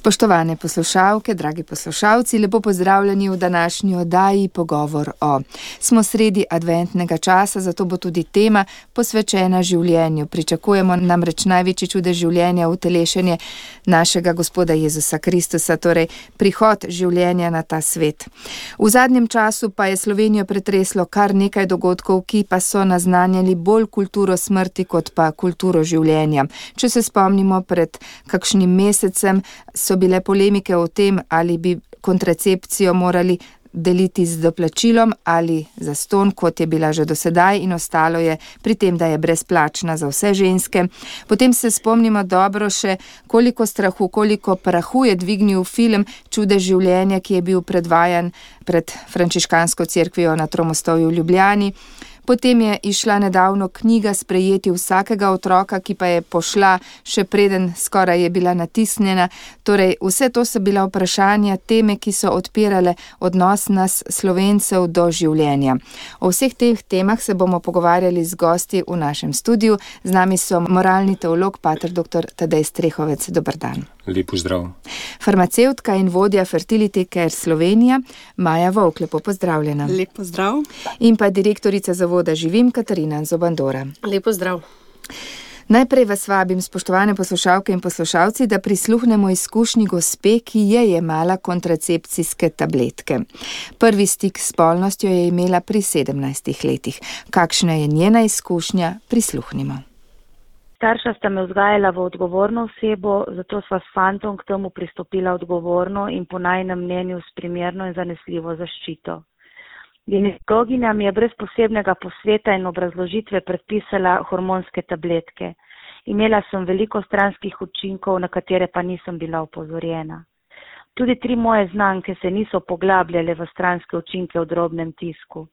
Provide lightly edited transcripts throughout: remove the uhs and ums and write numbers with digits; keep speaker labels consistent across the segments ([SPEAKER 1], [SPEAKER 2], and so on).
[SPEAKER 1] Spoštovane poslušalke, dragi poslušalci, lepo pozdravljeni v današnji oddaji Pogovor o. Smo sredi adventnega časa, zato bo tudi tema posvečena življenju. Pričakujemo namreč največji čudež življenja, utelešenje našega Gospoda Jezusa Kristusa, torej prihod življenja na ta svet. V zadnjem času pa je Slovenijo pretreslo kar nekaj dogodkov, ki pa so naznanjali bolj kulturo smrti kot pa kulturo življenja. Če se spomnimo, pred kakšnim mesecem so bile polemike o tem, ali bi kontracepcijo morali deliti z doplačilom ali zastonj, kot je bila že do sedaj, in ostalo je pri tem, da je brezplačna za vse ženske. Potem se spomnimo dobro še, koliko strahu, koliko prahu je dvignil film Čudež življenja, ki je bil predvajan pred frančiškansko cerkvijo na Tromostovju v Ljubljani. Potem je išla nedavno knjiga Sprejeti vsakega otroka, ki pa je pošla še preden skoraj je bila natisnjena. Torej, vse to so bila vprašanja, teme, ki so odpirale odnos nas Slovencev do življenja. O vseh teh temah se bomo pogovarjali z gosti v našem studiu. Z nami so moralni teolog, pater dr. Tadej Strehovec. Dober dan.
[SPEAKER 2] Lep pozdrav.
[SPEAKER 1] Farmacevtka in vodja Fertility Care Slovenija, Maja Vovk. Lepo pozdravljena.
[SPEAKER 3] Lep pozdrav.
[SPEAKER 1] In pa direktorica Zavoda Živim, Katarina Zobandora.
[SPEAKER 4] Lep pozdrav.
[SPEAKER 1] Najprej vas vabim, spoštovane poslušalke in poslušalci, da prisluhnemo izkušnji gospe, ki je jemala kontracepcijske tabletke. Prvi stik s spolnostjo je imela pri 17 letih. Kakšna je njena izkušnja? Prisluhnimo.
[SPEAKER 5] Starša sta me vzgajala v odgovorno osebo, zato sva s fantom k temu pristopila odgovorno in po najinem mnenju s primerno in zanesljivo zaščito. Ginekologinja mi je brez posebnega posveta in obrazložitve predpisala hormonske tabletke. Imela sem veliko stranskih učinkov, na katere pa nisem bila opozorjena. Tudi 3 moje znanke se niso poglabljale v stranske učinke v drobnem tisku.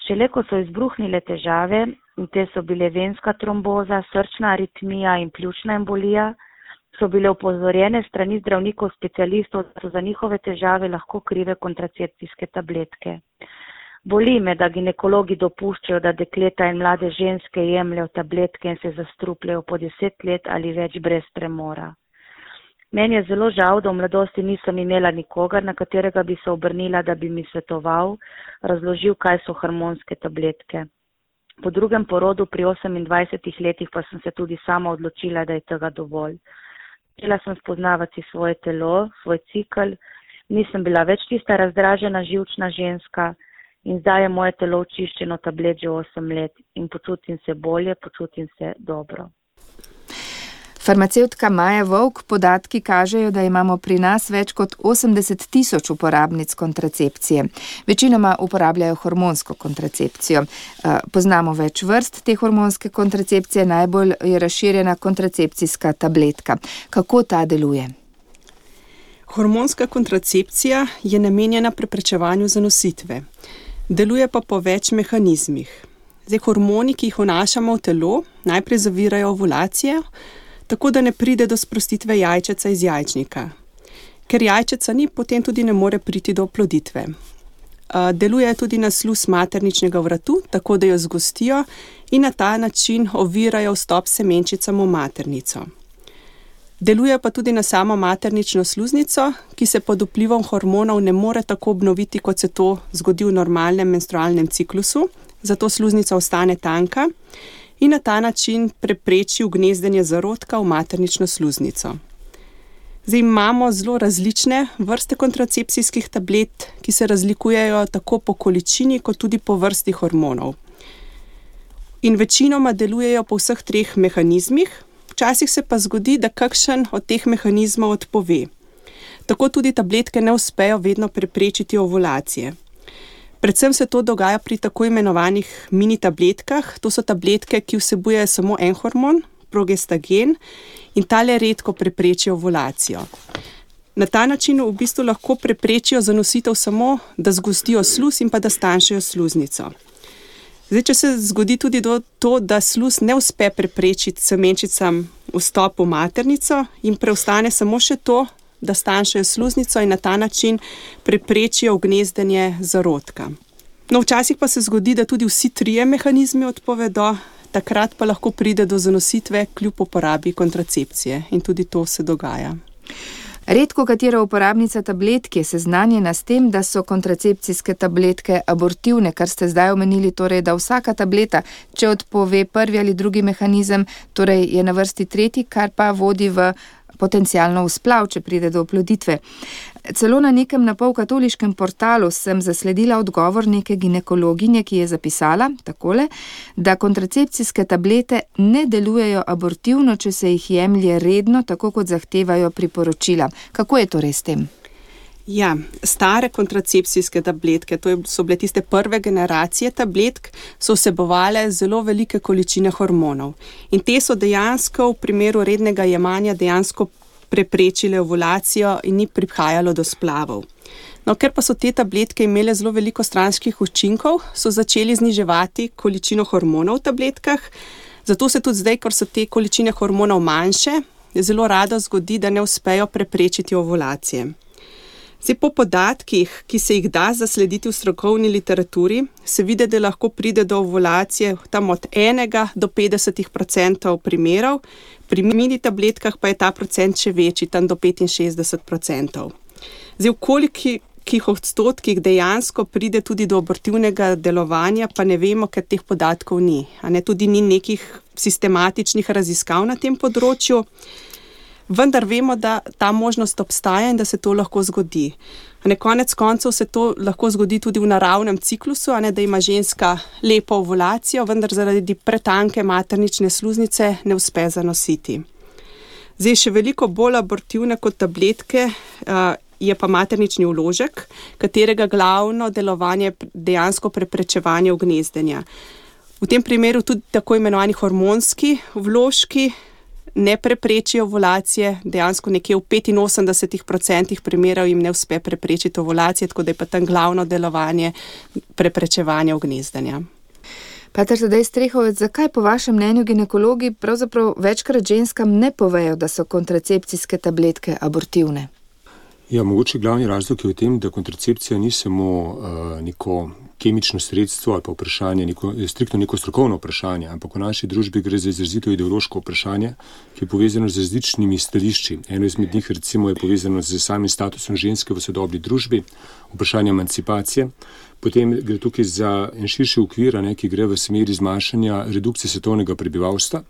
[SPEAKER 5] Šele ko so izbruhnile težave, in te so bile venska tromboza, srčna aritmija in pljučna embolija, so bile opozorjene strani zdravnikov specialistov, da so za njihove težave lahko krive kontracepcijske tabletke. Boli me, da ginekologi dopuščajo, da dekleta in mlade ženske jemljajo tabletke in se zastrupljajo po 10 let ali več brez premora. Meni je zelo žal, da v mladosti nisem imela nikogar, na katerega bi se obrnila, da bi mi svetoval, razložil, kaj so hormonske tabletke. Po drugem porodu pri 28 letih pa sem se tudi sama odločila, da je tega dovolj. Začela sem spoznavati svoje telo, svoj cikel, nisem bila več tista razdražena, živčna ženska in zdaj je moje telo očiščeno tablet že 8 let in počutim se bolje, počutim se dobro.
[SPEAKER 1] Farmacevtka Maja Vovk, podatki kažejo, da imamo pri nas več kot 80 000 uporabnic kontracepcije. Večinoma uporabljajo hormonsko kontracepcijo. Poznamo več vrst te hormonske kontracepcije, najbolj je razširjena kontracepcijska tabletka. Kako ta deluje?
[SPEAKER 3] Hormonska kontracepcija je namenjena preprečevanju zanositve. Deluje pa po več mehanizmih. Hormoni, ki jih vnašamo v telo, najprej zavirajo ovulacijo, tako da ne pride do sprostitve jajčeca iz jajčnika. Ker jajčeca ni, potem tudi ne more priti do oploditve. Deluje tudi na sluz materničnega vratu, tako da jo zgostijo in na ta način ovirajo vstop semenčicam v maternico. Deluje pa tudi na samo maternično sluznico, ki se pod vplivom hormonov ne more tako obnoviti, kot se to zgodi v normalnem menstrualnem ciklusu, zato sluznica ostane tanka in na ta način prepreči ugnezdenje zarodka v maternično sluznico. Zdaj imamo zelo različne vrste kontracepcijskih tablet, ki se razlikujejo tako po količini, kot tudi po vrsti hormonov. In večinoma delujejo po vseh 3 mehanizmih, včasih se pa zgodi, da kakšen od teh mehanizmov odpove. Tako tudi tabletke ne uspejo vedno preprečiti ovulacije. Predvsem se to dogaja pri tako imenovanih mini tabletkah. To so tabletke, ki vsebujejo samo en hormon, progestagen, in tale redko preprečijo ovulacijo. Na ta način v bistvu lahko preprečijo zanositev samo, da zgostijo sluz in pa da stanjšajo sluznico. Zdaj, če se zgodi tudi to, da sluz ne uspe preprečiti semenčicam vstop v maternico in preostane samo še to, da stanjšajo sluznico in na ta način preprečijo ugnezdenje zarodka. Včasih pa se zgodi, da tudi vsi 3 mehanizmi odpovedo, takrat pa lahko pride do zanositve kljub uporabi kontracepcije in tudi to se dogaja.
[SPEAKER 1] Redko katera uporabnica tabletk je seznanjena s tem, da so kontracepcijske tabletke abortivne, kar ste zdaj omenili, torej, da vsaka tableta, če odpove prvi ali drugi mehanizem, torej je na vrsti tretji, kar pa vodi v potencialno vzplav, če pride do oploditve. Celo na nekem napol katoliškem portalu sem zasledila odgovor neke ginekologinje, ki je zapisala takole, da kontracepcijske tablete ne delujejo abortivno, če se jih jemlje redno, tako kot zahtevajo priporočila. Kako je torej s tem?
[SPEAKER 3] Ja, stare kontracepcijske tabletke, so bile tiste prve generacije tabletk, so vsebovale zelo velike količine hormonov. In te so dejansko v primeru rednega jemanja dejansko preprečile ovulacijo in ni prihajalo do splavov. No, ker pa so te tabletke imele zelo veliko stranskih učinkov, so začeli zniževati količino hormonov v tabletkah, zato se tudi zdaj, ko so te količine hormonov manjše, zelo rado zgodi, da ne uspejo preprečiti ovulacije. Zdaj, po podatkih, ki se jih da zaslediti v strokovni literaturi, se vidi, da lahko pride do ovulacije tam od 1 do 50% primerov, pri mini tabletkah pa je ta procent še večji, tam do 65%. Zdaj, v kolikih odstotkih dejansko pride tudi do abortivnega delovanja, pa ne vemo, ker teh podatkov ni. Tudi ni nekih sistematičnih raziskav na tem področju. Vendar vemo, da ta možnost obstaja in da se to lahko zgodi. Konec koncev se to lahko zgodi tudi v naravnem ciklusu, da ima ženska lepo ovulacijo, vendar zaradi pretanke maternične sluznice ne uspe zanositi. Zdaj, še veliko bolj abortivne kot tabletke je pa maternični vložek, katerega glavno delovanje je dejansko preprečevanje ugnezdenja. V tem primeru tudi tako imenovani hormonski vložki ne preprečijo ovulacije, dejansko nekje v 85% primerov jim ne uspe preprečiti ovulacije, tako da je pa tam glavno delovanje preprečevanja ugnezdenja.
[SPEAKER 1] Pater Tadej Strehovec, zakaj po vašem mnenju ginekologi pravzaprav večkrat ženskam ne povejo, da so kontracepcijske tabletke abortivne?
[SPEAKER 2] Ja, mogoče glavni razlog je v tem, da kontracepcija ni samo neko kemično sredstvo ali pa vprašanje, striktno neko strokovno vprašanje, ampak v naši družbi gre za izrazito ideološko vprašanje, ki je povezano z različnimi stališči. Eno izmed njih recimo je povezano z samim statusom ženske v sodobni družbi, vprašanje emancipacije. Potem gre tukaj za en širši okvir, ki gre v smeri zmanjšanja redukcije svetovnega prebivalstva,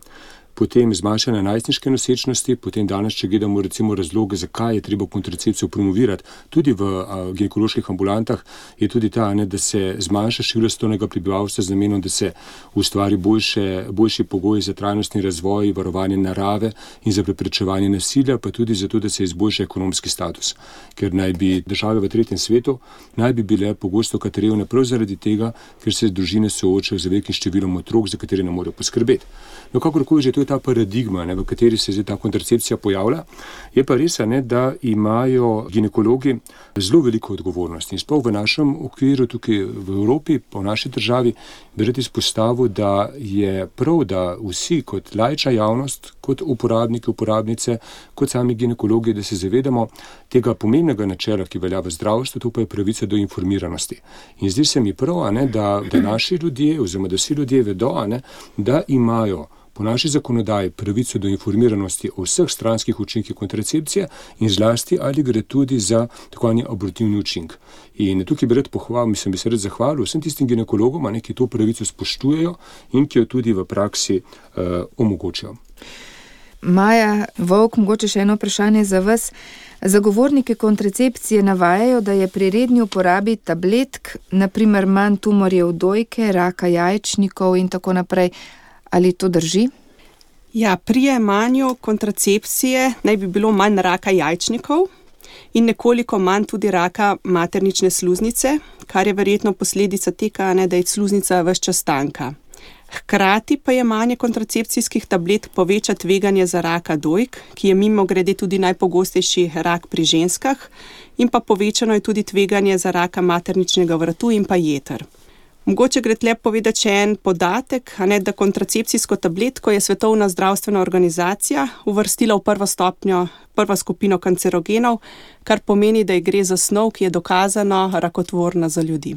[SPEAKER 2] potem zmanjšanja najstniške nosečnosti, potem danes, če gledamo recimo razloge, zakaj je treba kontracepcijo promovirati, tudi v ginekoloških ambulantah, je tudi ta, da se zmanjša število svetovnega prebivalstva z namenom, da se ustvari boljši pogoji za trajnostni razvoj, varovanje narave in za preprečevanje nasilja, pa tudi zato, da se izboljša ekonomski status. Ker naj bi države v tretjem svetu bile pogosto revne prav zaradi tega, ker se družine soočajo z velikim številom otrok, za katere ne morejo poskrbeti. No, kakorkoli že, to je ta paradigma, v kateri se zdaj ta kontracepcija pojavlja. Je pa res, da imajo ginekologi zelo veliko odgovornosti. In sploh v našem okviru, tukaj v Evropi, pa v naši državi, bi rad izpostavil, da je prav, da vsi kot laična javnost, kot uporabniki, uporabnice, kot sami ginekologi, da se zavedamo tega pomembnega načela, ki velja v zdravstvu, to pa je pravica do informiranosti. In zdi se mi prav, da naši ljudje, oziroma da vsi ljudje vedo, da imajo po naši zakonodaji pravico do informiranosti o vseh stranskih učinkih kontracepcije in zlasti, ali gre tudi za tako imenovani abortivni učink. In tukaj bi se rad zahvalil vsem tistim ginekologom, ki to pravico spoštujejo in ki jo tudi v praksi omogočajo.
[SPEAKER 1] Maja Volk, mogoče še eno vprašanje za vas. Zagovorniki kontracepcije navajajo, da je pri redni uporabi tabletk, naprimer manj tumorjev dojke, raka jajčnikov in tako naprej. Ali to drži?
[SPEAKER 3] Ja, pri jemanju kontracepcije naj bi bilo manj raka jajčnikov in nekoliko manj tudi raka maternične sluznice, kar je verjetno posledica tega, da je sluznica ves čas tanka. Hkrati pa jemanje kontracepcijskih tablet poveča tveganje za raka dojk, ki je mimogrede tudi najpogostejši rak pri ženskah, in pa povečano je tudi tveganje za raka materničnega vratu in pa jeter. Mogoče gre tle povedati še en podatek, da kontracepcijsko tabletko je Svetovna zdravstvena organizacija uvrstila v prvo skupino kancerogenov, kar pomeni, da gre za snov, ki je dokazano rakotvorna za ljudi.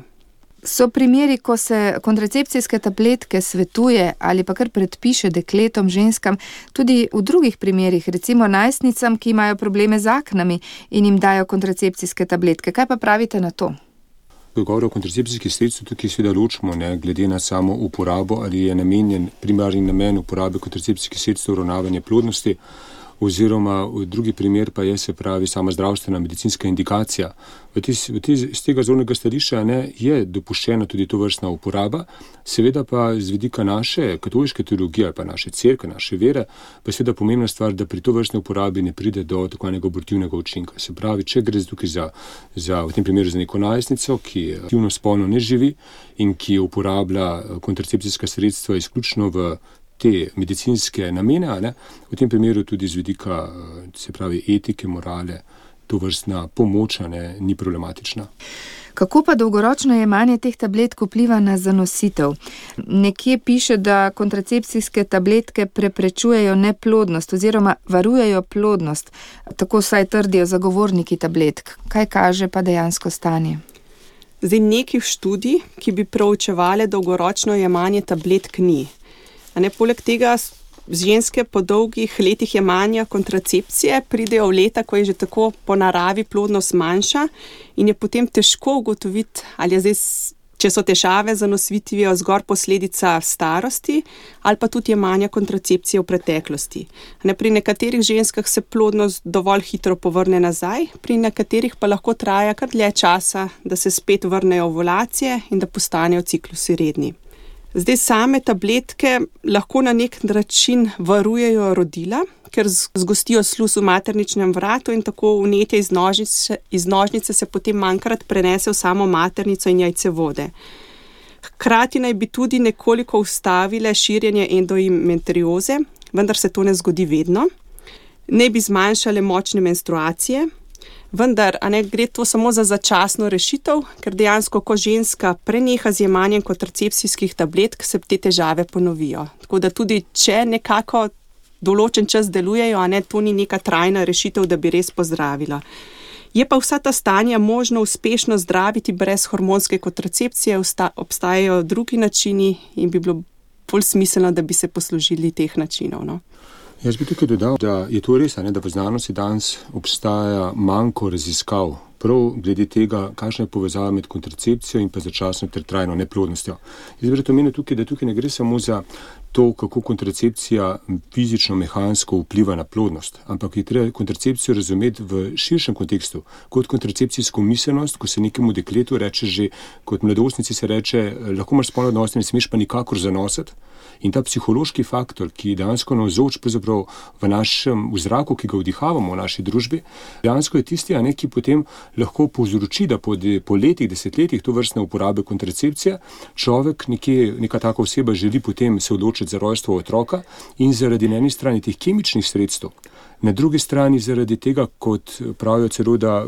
[SPEAKER 1] So primeri, ko se kontracepcijske tabletke svetuje ali pa kar predpiše dekletom, ženskam, tudi v drugih primerih, recimo najstnicam, ki imajo probleme z aknami in jim dajo kontracepcijske tabletke. Kaj pa pravite na to?
[SPEAKER 2] Ko govorimo o kontracepcijskih sredstvih, tukaj seveda ločimo, glede na samo uporabo, ali je namenjen primarni namen uporabe kontracepcijskih sredstev uravnavanja plodnosti, oziroma drugi primer pa je, se pravi, sama zdravstvena medicinska indikacija. Z tega zornega stališča je dopuščena tudi tovrstna uporaba, seveda pa z vidika naše katoliške teologije ali pa naše cerkve, naše vere, pa je seveda pomembna stvar, da pri tovrstni uporabi ne pride do tako nekega abortivnega učinka. Se pravi, če gre tukaj v tem primeru za neko najstnico, ki aktivno spolno ne živi in ki uporablja kontracepcijska sredstva izključno v te medicinske namene, v tem primeru tudi z vidika, se pravi, etike, morale, tovrstna pomoč ni problematična.
[SPEAKER 1] Kako pa dolgoročno jemanje teh tabletk vpliva na zanositev? Nekje piše, da kontracepcijske tabletke preprečujejo neplodnost oziroma varujejo plodnost. Tako vsaj trdijo zagovorniki tabletk. Kaj kaže pa dejansko stanje?
[SPEAKER 3] Zdaj, nekih študij, ki bi proučevale dolgoročno jemanje tabletk, ni. Poleg tega ženske po dolgih letih jemanja kontracepcije pridejo v leta, ko je že tako po naravi plodnost manjša in je potem težko ugotoviti, ali je zdaj, če so težave z zanositvijo zgolj posledica starosti ali pa tudi jemanja kontracepcije v preteklosti. Pri nekaterih ženskah se plodnost dovolj hitro povrne nazaj, pri nekaterih pa lahko traja kar dlje časa, da se spet vrnejo ovulacije in da postanejo ciklusi redni. Zdaj, same tabletke lahko na nek način varujejo rodila, ker zgostijo sluz v materničnem vratu in tako vnetje iz nožnice se potem manjkrat prenese v samo maternico in jajcevode. Hkrati naj bi tudi nekoliko ustavile širjenje endometrioze, vendar se to ne zgodi vedno. Naj bi zmanjšale močne menstruacije, vendar gre to samo za začasno rešitev, ker dejansko, ko ženska preneha z jemanjem kontracepcijskih tabletk, se te težave ponovijo. Tako da tudi, če nekako določen čas delujejo, to ni neka trajna rešitev, da bi res pozdravila. Je pa vsa ta stanja možno uspešno zdraviti brez hormonske kontracepcije, obstajajo drugi načini in bi bilo bolj smiselno, da bi se poslužili teh načinov.
[SPEAKER 2] Jaz bi tukaj dodal, da je to res, da v znanosti danes obstaja manjko raziskav, prav glede tega, kakšna je povezava med kontracepcijo in pa začasno ter trajno neplodnostjo. Jaz bi omenil tukaj, da tukaj ne gre samo za to, kako kontracepcija fizično, mehansko vpliva na plodnost, ampak je treba kontracepcijo razumeti v širšem kontekstu, kot kontracepcijsko miselnost, ko se nekemu dekletu reče že, kot mladostnici se reče, lahko imaš spolne odnose, ne smeš pa nikakor zanositi. In ta psihološki faktor, ki je dejansko navzoč v našem zraku, ki ga vdihavamo v naši družbi, dejansko je tisti, ki potem lahko povzroči, da po letih, desetletjih to vrstne uporabe kontracepcije človek neka taka oseba želi potem se odločiti za rojstvo otroka in zaradi na eni strani teh kemičnih sredstev, na drugi strani zaradi tega, kot pravijo celo, da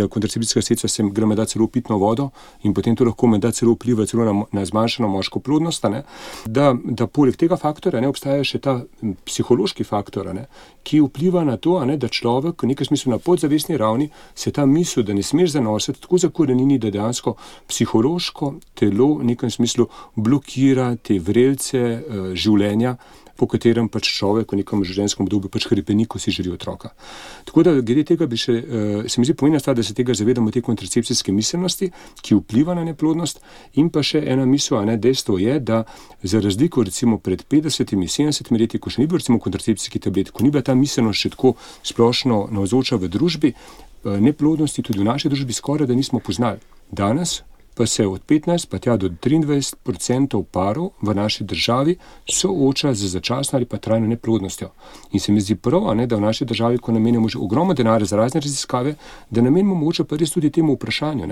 [SPEAKER 2] kontracepcijska sredstva se gre menda celo pitno vodo in potem to lahko menda celo vpliva celo na zmanjšano moško plodnost, da poleg tega faktora obstaja še ta psihološki faktor, ki vpliva na to, da človek v nekem smislu na podzavestni ravni se ta misel, da ne smeš zanositi, tako zakorenini, da dejansko psihološko telo v nekem smislu blokira te vrelce življenja, po katerem človek v nekem življenjskem obdobju hrepeni, ko si želi otroka. Tako da glede tega se mi zdi pomembna stvar, da se tega zavedamo, te kontracepcijske miselnosti, ki vpliva na neplodnost, in pa še ena misel, dejstvo je, da za razliko recimo pred 50-70 leti, ko še ni bil recimo kontracepcijski tablet, ko ni bila ta miselnost še tako splošno navzoča v družbi, neplodnosti tudi v naši družbi skoraj da nismo poznali. Danes pa se od 15 pa tja do 23% parov v naši državi sooča z začasno ali pa trajno neplodnostjo. In se mi zdi prav, da v naši državi, ko namenjamo že ogromno denarja za razne raziskave, da namenimo mogoče pa res tudi temu vprašanju.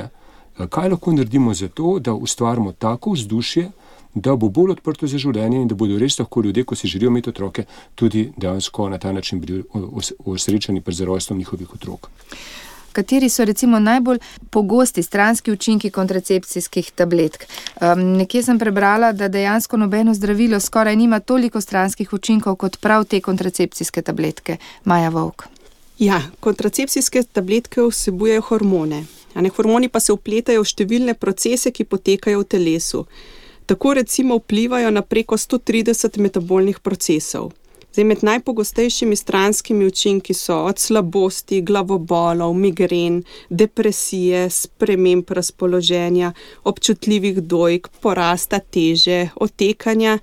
[SPEAKER 2] Kaj lahko naredimo za to, da ustvarimo tako vzdušje, da bo bolj odprto za življenje in da bodo res lahko ljudje, ko si želijo imeti otroke, tudi dejansko na ta način bili osrečeni pred rojstvom njihovih otrok.
[SPEAKER 1] Kateri so recimo najbolj pogosti stranski učinki kontracepcijskih tabletk? Nekje sem prebrala, da dejansko nobeno zdravilo skoraj nima toliko stranskih učinkov kot prav te kontracepcijske tabletke. Maja Vovk.
[SPEAKER 3] Ja, kontracepcijske tabletke vsebujejo hormone. Hormoni pa se vpletajo v številne procese, ki potekajo v telesu. Tako recimo vplivajo na preko 130 metabolnih procesov. Med najpogostejšimi stranskimi učinki so od slabosti, glavobolov, migren, depresije, sprememb razpoloženja, občutljivih dojk, porasta teže, otekanja.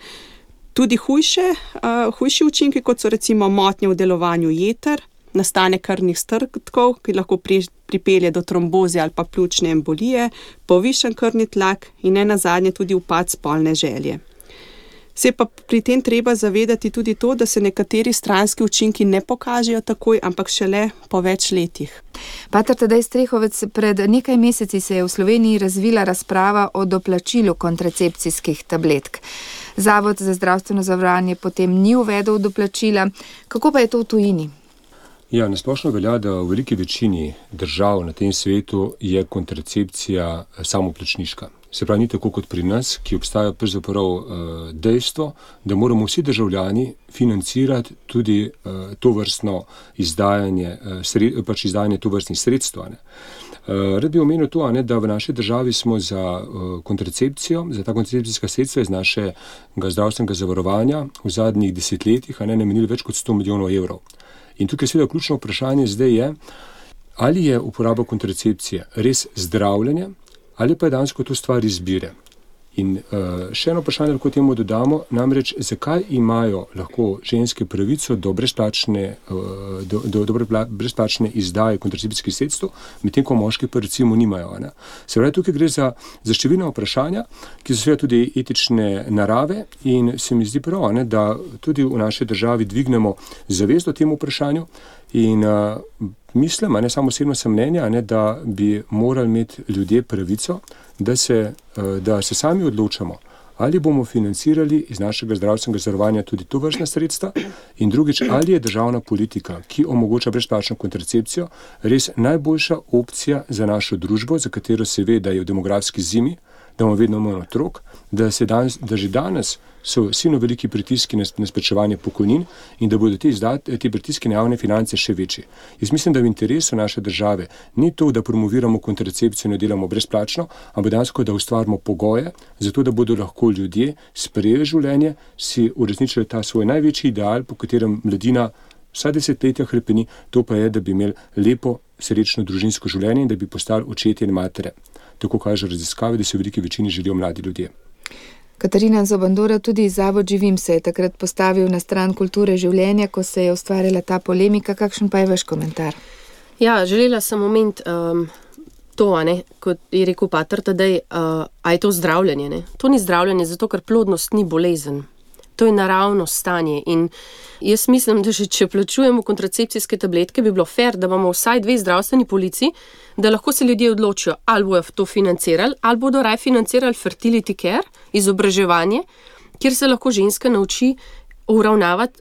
[SPEAKER 3] Tudi hujši učinki, kot so recimo motnje v delovanju jeter, nastanek krvnih strdkov, ki lahko pripelje do tromboze ali pa pljučne embolije, povišan krvni tlak in nenazadnje tudi upad spolne želje. Se pa pri tem treba zavedati tudi to, da se nekateri stranski učinki ne pokažejo takoj, ampak šele po več letih.
[SPEAKER 1] Pater Tadej Strehovec, pred nekaj meseci se je v Sloveniji razvila razprava o doplačilu kontracepcijskih tabletk. Zavod za zdravstveno zavarovanje potem ni uvedel doplačila. Kako pa je to v tujini?
[SPEAKER 2] Ja, nasplošno velja, da v veliki večini držav na tem svetu je kontracepcija samoplačniška. Se pravi, ni tako kot pri nas, ki obstaja pravzaprav dejstvo, da moramo vsi državljani financirati tudi tovrstno izdajanje tovrstnih sredstev. Rad bi omenil to, da v naši državi smo za kontracepcijo, za ta kontracepcijska sredstva iz našega zdravstvenega zavarovanja v zadnjih desetletjih namenili več kot 100 milijonov evrov. In tukaj seveda ključno vprašanje zdaj je, ali je uporaba kontracepcije res zdravljenje, ali pa je dejansko to stvar izbire. In še eno vprašanje lahko temu dodamo, namreč zakaj imajo lahko ženske pravico do brezplačne izdaje kontracepcijskih sredstev, medtem ko moški pa recimo nimajo. Se pravi, tukaj gre za številna vprašanja, ki so seveda tudi etične narave in se mi zdi prav, da tudi v naši državi dvignemo zavest o tem vprašanju in mislim, samo osebno sem mnenja, da bi morali imeti ljudje pravico, da se sami odločamo, ali bomo financirali iz našega zdravstvenega zavarovanja tudi tovrstna sredstva in drugič, ali je državna politika, ki omogoča brezplačno kontracepcijo, res najboljša opcija za našo družbo, za katero se ve, da je v demografski zimi, da imamo vedno manj otrok, da že danes so silno veliki pritiski na izplačevanje pokojnin in da bodo ti pritiski na javne finance še večji. Jaz mislim, da v interesu naše države ni to, da promoviramo kontracepcijo in jo delamo brezplačno, ampak dejansko, da ustvarimo pogoje, zato da bodo lahko ljudje sprejeli življenje, si uresničili ta svoj največji ideal, po katerem mladina vsa desetletja hrepeni, to pa je, da bi imeli lepo, srečno družinsko življenje in da bi postali očetje in matere. Tako kaže raziskave, da se v veliki večini želijo mladi ljudje.
[SPEAKER 1] Katarina Zobandora, tudi Zavod Živim se je takrat postavil na stran kulture življenja, ko se je ustvarjala ta polemika. Kakšen pa je vaš komentar?
[SPEAKER 4] Ja, želela sem omeniti to, kot je rekel pater Tadej, a je to zdravljenje. To ni zdravljenje, zato ker plodnost ni bolezen. To je naravno stanje in jaz mislim, da če plačujemo kontracepcijske tabletke, bi bilo fair, da imamo vsaj 2 zdravstveni polici, da lahko se ljudje odločijo, ali bojo to financirali, ali bodo raje financirali fertility care, izobraževanje, kjer se lahko ženska nauči uravnavati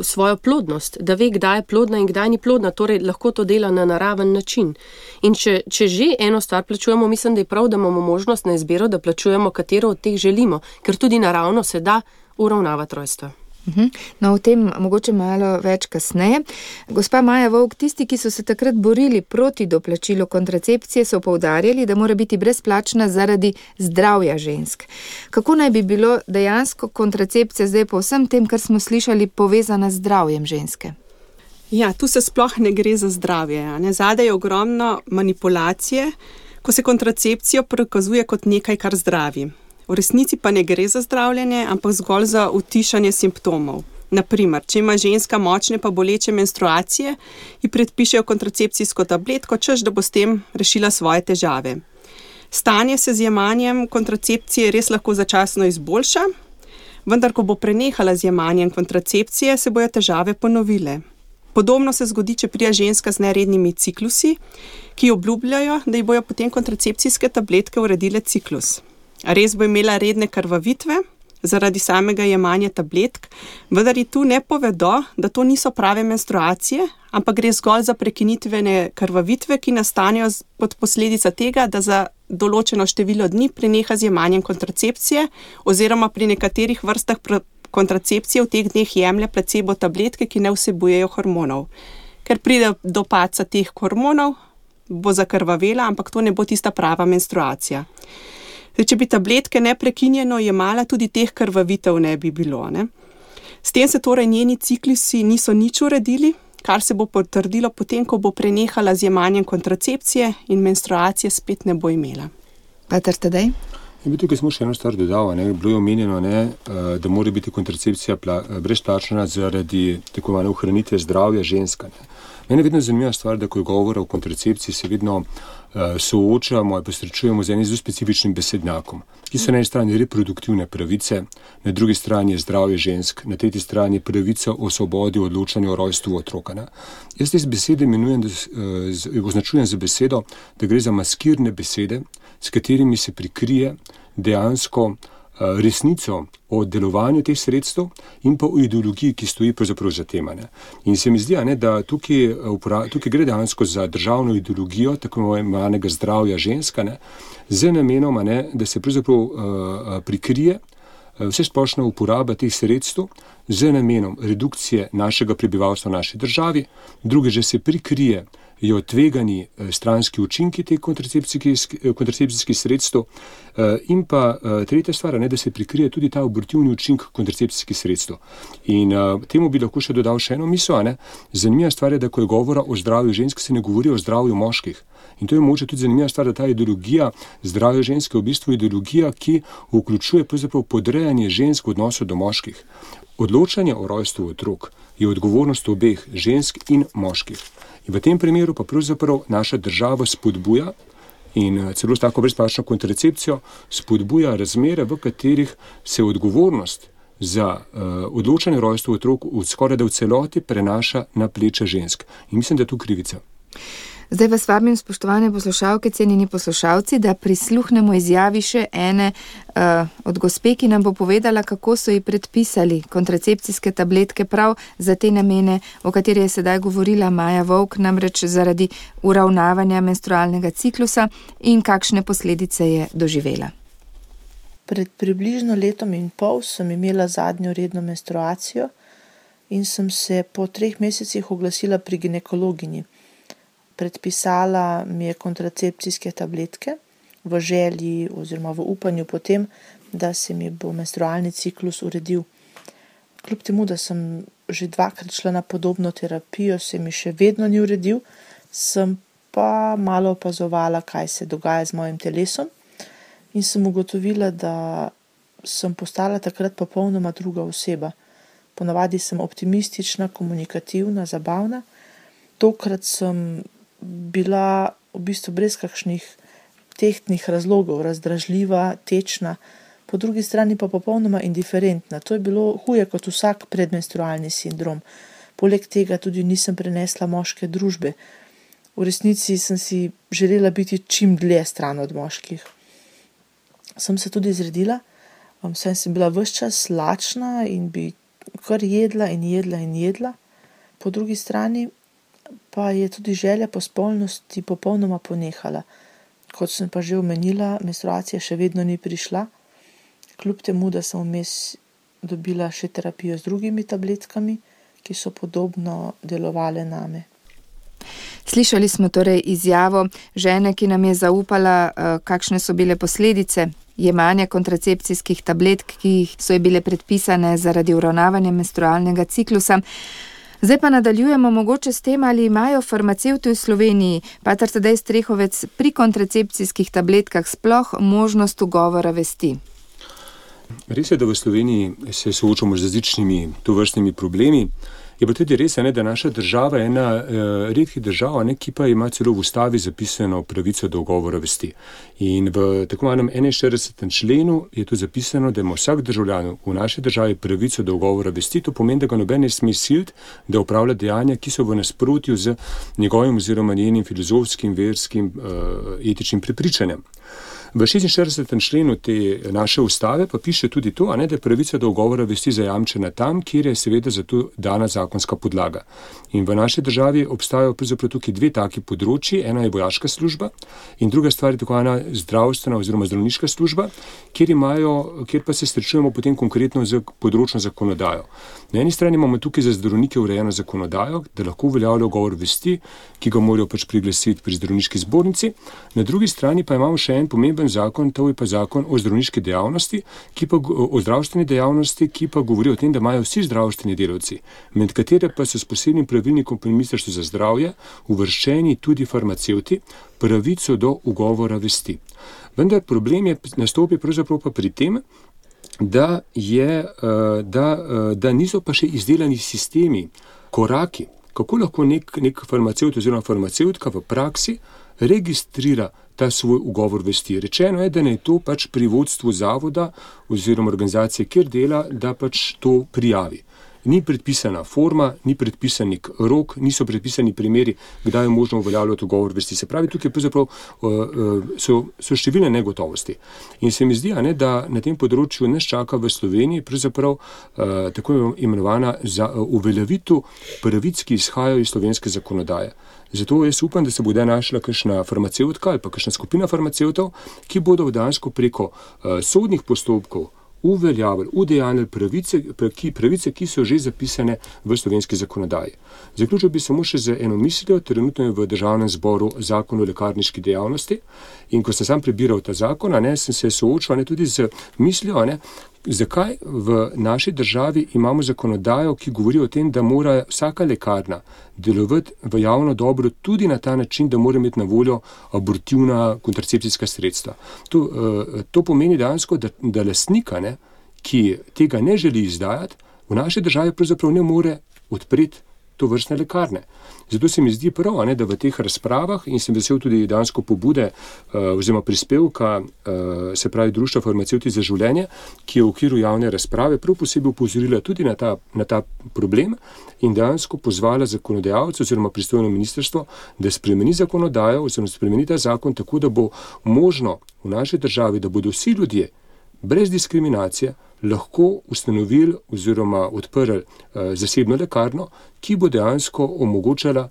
[SPEAKER 4] svojo plodnost, da ve, kdaj je plodna in kdaj ni plodna, torej lahko to dela na naraven način. In če že eno stvar plačujemo, mislim, da je prav, da imamo možnost na izbiro, da plačujemo, katero od teh želimo, ker tudi naravno se da uravnavati rojstva.
[SPEAKER 1] No, o tem mogoče malo več kasneje. Gospa Maja Vovk, tisti, ki so se takrat borili proti doplačilu kontracepcije, so poudarjali, da mora biti brezplačna zaradi zdravja žensk. Kako naj bi bilo dejansko kontracepcija zdaj po vsem tem, kar smo slišali, povezana z zdravjem ženske?
[SPEAKER 3] Ja, tu se sploh ne gre za zdravje. Zadaj je ogromno manipulacije, ko se kontracepcijo prikazuje kot nekaj, kar zdravi. V resnici pa ne gre za zdravljenje, ampak zgolj za utišanje simptomov. Naprimer, če ima ženska močne pa boleče menstruacije, ji predpišejo kontracepcijsko tabletko, češ da bo s tem rešila svoje težave. Stanje se z jemanjem kontracepcije res lahko začasno izboljša, vendar ko bo prenehala z jemanjem kontracepcije, se bojo težave ponovile. Podobno se zgodi, če prija ženska z nerednimi ciklusi, ki obljubljajo, da ji bojo potem kontracepcijske tabletke uredile ciklus. Res bo imela redne krvavitve zaradi samega jemanja tabletk, vendar ji tu ne povedo, da to niso prave menstruacije, ampak gre zgolj za prekinitvene krvavitve, ki nastanejo kot posledica tega, da za določeno število dni preneha z jemanjem kontracepcije oziroma pri nekaterih vrstah kontracepcije v teh dneh jemlje placebo tabletke, ki ne vsebujejo hormonov. Ker pride do padca teh hormonov, bo zakrvavela, ampak to ne bo tista prava menstruacija. Zdaj, če bi tabletke neprekinjeno jemala, tudi teh krvavitev ne bi bilo. Ne? S tem se torej njeni ciklusi niso nič uredili, kar se bo potrdilo potem, ko bo prenehala z jemanjem kontracepcije in menstruacije spet ne bo imela.
[SPEAKER 1] Pater Tadej?
[SPEAKER 2] Tukaj smo še eno stvar dodal, bilo je omenjeno, da mora biti kontracepcija brezplačna zaradi tako imenovane ohranitve zdravja ženska. Mene je vedno zanimiva stvar, da ko je govora o kontracepciji, se vedno soočamo in posrečujemo z enim zelo specifičnim besednjakom, ki so na eni strani reproduktivne pravice, na drugi strani je zdravje žensk, na tretji strani je pravica o svobodi odločanja o rojstvu otroka. Jaz te besede označujem za besedo, da gre za maskirne besede, s katerimi se prikrije dejansko resnico o delovanju teh sredstev in pa o ideologiji, ki stoji pravzaprav za tem. In se mi zdi, da tukaj gre dejansko za državno ideologijo tako imenovanega zdravja ženska, z namenom, da se pravzaprav prikrije vsesplošna uporaba teh sredstev z namenom redukcije našega prebivalstva v naši državi, druge že se prikrije tvegani stranski učinki teh kontracepcijskih sredstev in pa tretja stvar, da se prikrije tudi ta abortivni učinek kontracepcijskih sredstev. In temu bi lahko še dodal še eno misel. Zanimiva stvar je, da ko je govora o zdravju žensk, se ne govori o zdravju moških. In to je mogoče tudi zanimiva stvar, da ta ideologija zdravja ženske je v bistvu ideologija, ki vključuje pravzaprav podrejanje žensk v odnosu do moških. Odločanje o rojstvu otrok je odgovornost obeh, žensk in moških. In v tem primeru pa pravzaprav naša država spodbuja in celo s tako brezplačno kontracepcijo spodbuja razmere, v katerih se odgovornost za odločanje o rojstvu otrok skoraj da v celoti prenaša na pleča žensk. In mislim, da je tu krivica.
[SPEAKER 1] Zdaj vas vabim, spoštovane poslušalke, cenjeni poslušalci, da prisluhnemo izjavi še ene od gospe, ki nam bo povedala, kako so ji predpisali kontracepcijske tabletke prav za te namene, o kateri je sedaj govorila Maja Vovk, namreč zaradi uravnavanja menstrualnega ciklusa in kakšne posledice je doživela.
[SPEAKER 6] Pred približno letom in pol sem imela zadnjo redno menstruacijo in sem se po 3 mesecih oglasila pri ginekologinji. Predpisala mi je kontracepcijske tabletke v želji oziroma v upanju potem, da se mi bo menstrualni ciklus uredil. Kljub temu, da sem že 2-krat šla na podobno terapijo, se mi še vedno ni uredil, sem pa malo opazovala, kaj se dogaja z mojim telesom in sem ugotovila, da sem postala takrat popolnoma druga oseba. Ponavadi sem optimistična, komunikativna, zabavna. Tokrat sem bila v bistvu brez kakšnih tehtnih razlogov, razdražljiva, tečna, po drugi strani pa popolnoma indiferentna. To je bilo huje kot vsak predmenstrualni sindrom. Poleg tega tudi nisem prenesla moške družbe. V resnici sem si želela biti čim dlje stran od moških. Sem se tudi zredila, saj sem bila ves čas lačna in bi kar jedla in jedla in jedla. Po drugi strani pa je tudi želja po spolnosti popolnoma ponehala. Kot sem pa že omenila, menstruacija še vedno ni prišla, kljub temu, da sem vmes dobila še terapijo z drugimi tabletkami, ki so podobno delovale name.
[SPEAKER 1] Slišali smo torej izjavo žene, ki nam je zaupala, kakšne so bile posledice jemanja kontracepcijskih tabletk, ki so ji bile predpisane zaradi uravnavanja menstrualnega ciklusa. Zdaj pa nadaljujemo mogoče s tem, ali imajo farmacevti v Sloveniji, pater Tadej Strehovec, pri kontracepcijskih tabletkah sploh možnost ugovora vesti.
[SPEAKER 2] Res je, da v Sloveniji se soočamo z različnimi tovrstnimi problemi. Je pa tudi res, da naša država je ena redkih držav, ki pa ima celo v ustavi zapisano pravico do ugovora vesti. In v tako imenem 41. členu je tu zapisano, da ima vsak državljan v naši državi pravico do ugovora vesti. To pomeni, da ga noben ne sme siliti, da opravlja dejanja, ki so v nasprotju z njegovim oziroma njenim filozofskim, verskim, etičnim prepričanjem. V 46. členu te naše ustave pa piše tudi to, da je pravica do ugovora vesti zajamčena tam, kjer je seveda za to dana zakonska podlaga. In v naši državi obstajajo pravzaprav tukaj dve taki področji, ena je vojaška služba in druga stvar je tako ena zdravstvena oziroma zdravniška služba, kjer pa se srečujemo potem konkretno z področno zakonodajo. Na eni strani imamo tukaj za zdravnike urejeno zakonodajo, da lahko uveljavljajo ugovor vesti, ki ga morajo pač priglasiti pri zdravniški zbornici. Na drugi strani pa imamo še en pomemben zakon, to je pa zakon o zdravniški dejavnosti, o zdravstveni dejavnosti, ki pa govori o tem, da imajo vsi zdravstveni delavci, med katere pa so s posebnim pravilnikom pri Ministrstvu za zdravje uvrščeni tudi farmacevti, pravico do ugovora vesti. Vendar problem nastopi pravzaprav pa pri tem, da niso pa še izdelani sistemi, koraki, kako lahko nek farmacevt oziroma farmacevtka v praksi registrira ta svoj ugovor vesti. Rečeno je, da naj to pač pri vodstvu zavoda oziroma organizacije, kjer dela, da pač to prijavi. Ni predpisana forma, ni predpisani rok, niso predpisani primeri, kdaj je možno uveljavljati ugovor vesti. Se pravi, tukaj so številne negotovosti. In se mi zdi, da na tem področju nas čaka v Sloveniji pravzaprav tako imenovana uveljavitev pravic, ki izhajajo iz slovenske zakonodaje. Zato jaz upam, da se bo našla kakšna farmacevtka ali pa kakšna skupina farmacevtov, ki bodo dejansko preko sodnih postopkov uveljavili, udejanili pravice, ki so že zapisane v slovenski zakonodaji. Zaključil bi samo še z eno mislijo, trenutno je v Državnem zboru zakon o lekarniški dejavnosti in ko sem sam prebiral ta zakon, sem se soočal tudi z mislijo, zakaj v naši državi imamo zakonodajo, ki govori o tem, da mora vsaka lekarna delovati v javno dobro tudi na ta način, da mora imeti na voljo abortivna kontracepcijska sredstva. To pomeni dejansko, da lastnika, ki tega ne želi izdajati, v naši državi pravzaprav ne more odpreti to vrstne lekarne. Zato se mi zdi prav, da v teh razpravah, in sem vesel tudi dejansko pobude oziroma prispevka, se pravi Društva farmacevti za življenje, ki je v okviru javne razprave prav posebej upozorila tudi na ta problem in dejansko pozvala zakonodajalce oziroma pristojno ministrstvo, da spremeni zakonodajo oziroma spremeni ta zakon tako, da bo možno v naši državi, da bodo vsi ljudje brez diskriminacije lahko ustanovili oziroma odprli zasebno lekarno, ki bo dejansko omogočala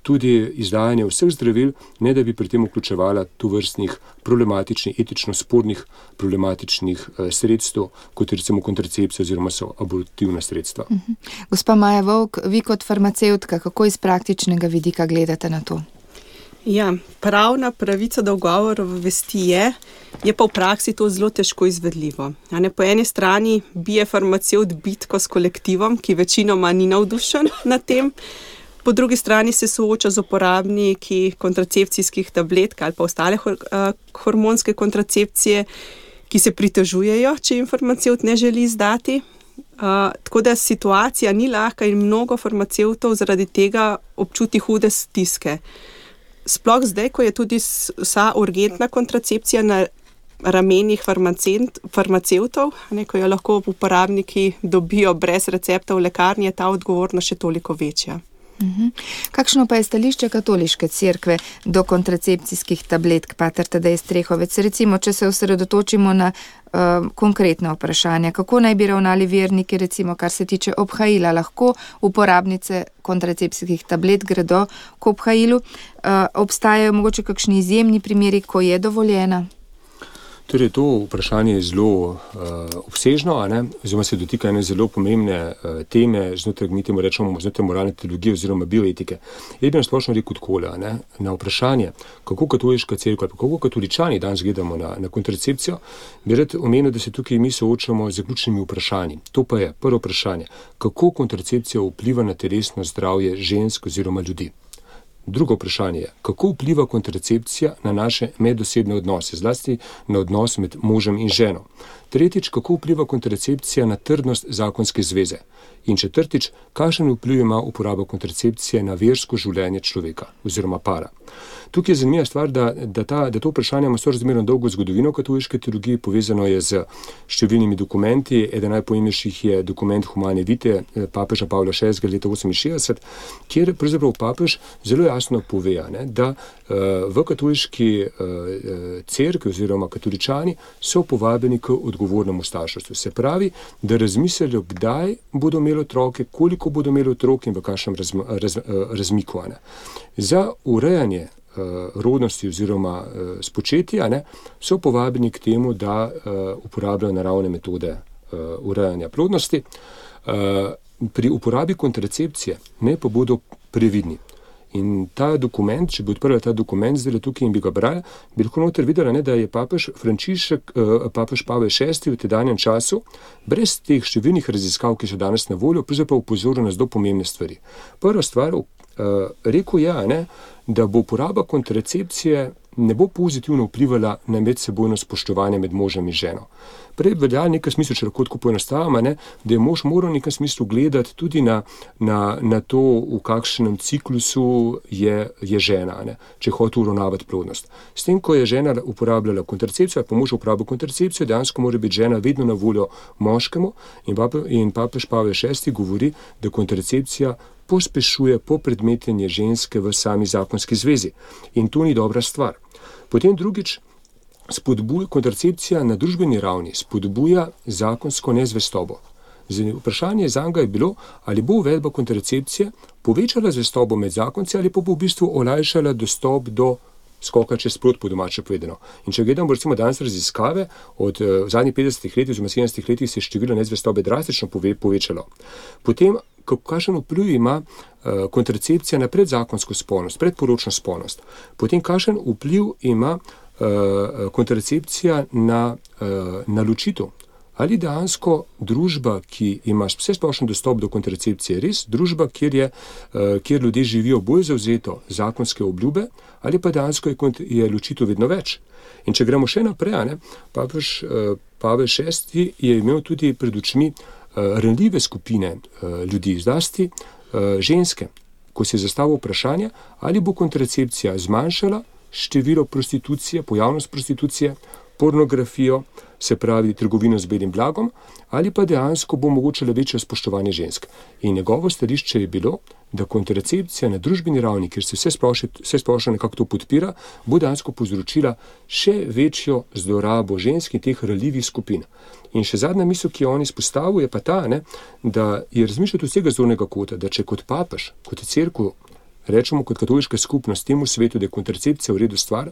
[SPEAKER 2] tudi izdajanje vseh zdravil, ne da bi pri tem vključevala tovrstnih problematičnih, etično spornih problematičnih sredstev, kot recimo kontracepcija oziroma so abortivna sredstva.
[SPEAKER 1] Gospa Maja Vovk, vi kot farmacevtka, kako iz praktičnega vidika gledate na to?
[SPEAKER 3] Ja, pravna pravica do ugovora vesti je pa v praksi to zelo težko izvedljivo. Po eni strani bije farmacevt bitko s kolektivom, ki večinoma ni navdušen nad tem, po drugi strani se sooča z uporabniki kontracepcijskih tabletk ali pa ostale hormonske kontracepcije, ki se pritožujejo, če jim farmacevt ne želi izdati. Tako da situacija ni lahka in mnogo farmacevtov zaradi tega občuti hude stiske. Sploh zdaj, ko je tudi vsa urgentna kontracepcija na ramenih farmacevtov, ko jo lahko uporabniki dobijo brez recepta v lekarni, je ta odgovornost še toliko večja.
[SPEAKER 1] Kakšno pa je stališče katoliške cerkve do kontracepcijskih tabletk, pater Tadej Strehovec? Recimo, če se osredotočimo na konkretna vprašanja, kako naj bi ravnali verniki, recimo, kar se tiče obhajila, lahko uporabnice kontracepcijskih tablet gredo k obhajilu? Obstajajo mogoče kakšni izjemni primeri, ko je dovoljena?
[SPEAKER 2] Torej, to vprašanje je zelo obsežno, oziroma se dotika ene zelo pomembne teme znotraj, mi temu rečemo, znotraj moralne teologije oziroma bioetike. Jaz bi nasplošno rekel takole, na vprašanje, kako katoliška cerkev ali kako katoličani danes gledamo na kontracepcijo, bi rad omenil, da se tukaj mi soočamo z zaključnimi vprašanji. To pa je prvo vprašanje, kako kontracepcija vpliva na telesno zdravje žensk oziroma ljudi. Drugo vprašanje je, kako vpliva kontracepcija na naše medosebne odnose, zlasti na odnos med možem in ženo. Tretjič, kako vpliva kontracepcija na trdnost zakonske zveze. In četrtič, kakšen vpliv ima uporaba kontracepcije na versko življenje človeka oziroma para. Tukaj je zanimiva stvar, da to vprašanje ima sorazmerno dolgo zgodovino katoliške teologije, povezano je z številnimi dokumenti. Eden najpomembnejših je dokument Humane Vitae papeža Pavla VI. Leta 1968, kjer pravzaprav papež zelo jasno pove, da v katoliški cerkvi oziroma katoličani so povabljeni k odgovornemu starševstvu. Se pravi, da razmislijo, kdaj bodo imeli otroke, koliko bodo imeli otrok in v kakšnem razmiku. Za urejanje rodnosti oziroma spočetja so povabljeni k temu, da uporabljajo naravne metode urejanja plodnosti. Pri uporabi kontracepcije pa bodo previdni. In ta dokument, če bi odprla ta dokument zdaj tukaj in bi ga brali, bi lahko noter videla, da je papež Pavel VI v tedanjem času, brez teh številnih raziskav, ki so danes na voljo, pravzaprav upozoril na zelo pomembne stvari. Prva stvar, rekel je, da bo uporaba kontracepcije ne bo pozitivno vplivala na medsebojno spoštovanje med možem in ženo. Prej velja v nekem smislu, če lahko tako poenostavimo, da je mož moral v nekem smislu gledati tudi na to, v kakšnem ciklusu je žena, če hoče uravnavati plodnost. S tem, ko je žena uporabljala kontracepcijo, pa mož uporabil kontracepcijo, dejansko mora biti žena vedno na voljo moškemu in papež Pavel VI govori, da kontracepcija pospešuje popredmetenje ženske v sami zakonski zvezi. In to ni dobra stvar. Potem drugič, kontracepcija na družbeni ravni spodbuja zakonsko nezvestobo. Vprašanje zanga je bilo, ali bo uvedba kontracepcije povečala zvestobo med zakonci ali pa bo v bistvu olajšala dostop do skoka čez prut, po domače povedano. In če gledamo recimo danes raziskave, od zadnjih 50 letih oziroma 70 letih se je število nezvestobe drastično povečalo. Potem, kakšen vpliv ima kontracepcija na predzakonsko spolnost, predporočno spolnost. Potem, kakšen vpliv ima kontracepcija na ločitev. Ali dejansko družba, ki ima vsesplošen dostop do kontracepcije, res družba, kjer ljudje živijo bolj zavzeto zakonske obljube, ali pa dejansko je ločitev vedno več. In če gremo še naprej, papež Pavel VI je imel tudi pred očmi ranljive skupine ljudi, zlasti ženske, ko se je zastavilo vprašanje, ali bo kontracepcija zmanjšala število prostitucije, pojavnost prostitucije, pornografijo, se pravi trgovino z belim blagom, ali pa dejansko bo omogočala večje spoštovanje žensk. In njegovo stališče je bilo, da kontracepcija na družbeni ravni, kjer se vse splošno nekako to podpira, bo dejansko povzročila še večjo zlorabo žensk in teh ranljivih skupin. In še zadnja misel, ki jo on izpostavil, je pa ta, da je razmišljati od vsega zornega kota, da če kot papež, kot cerkev, rečemo kot katoliška skupnost temu svetu, da je kontracepcija v redu stvar,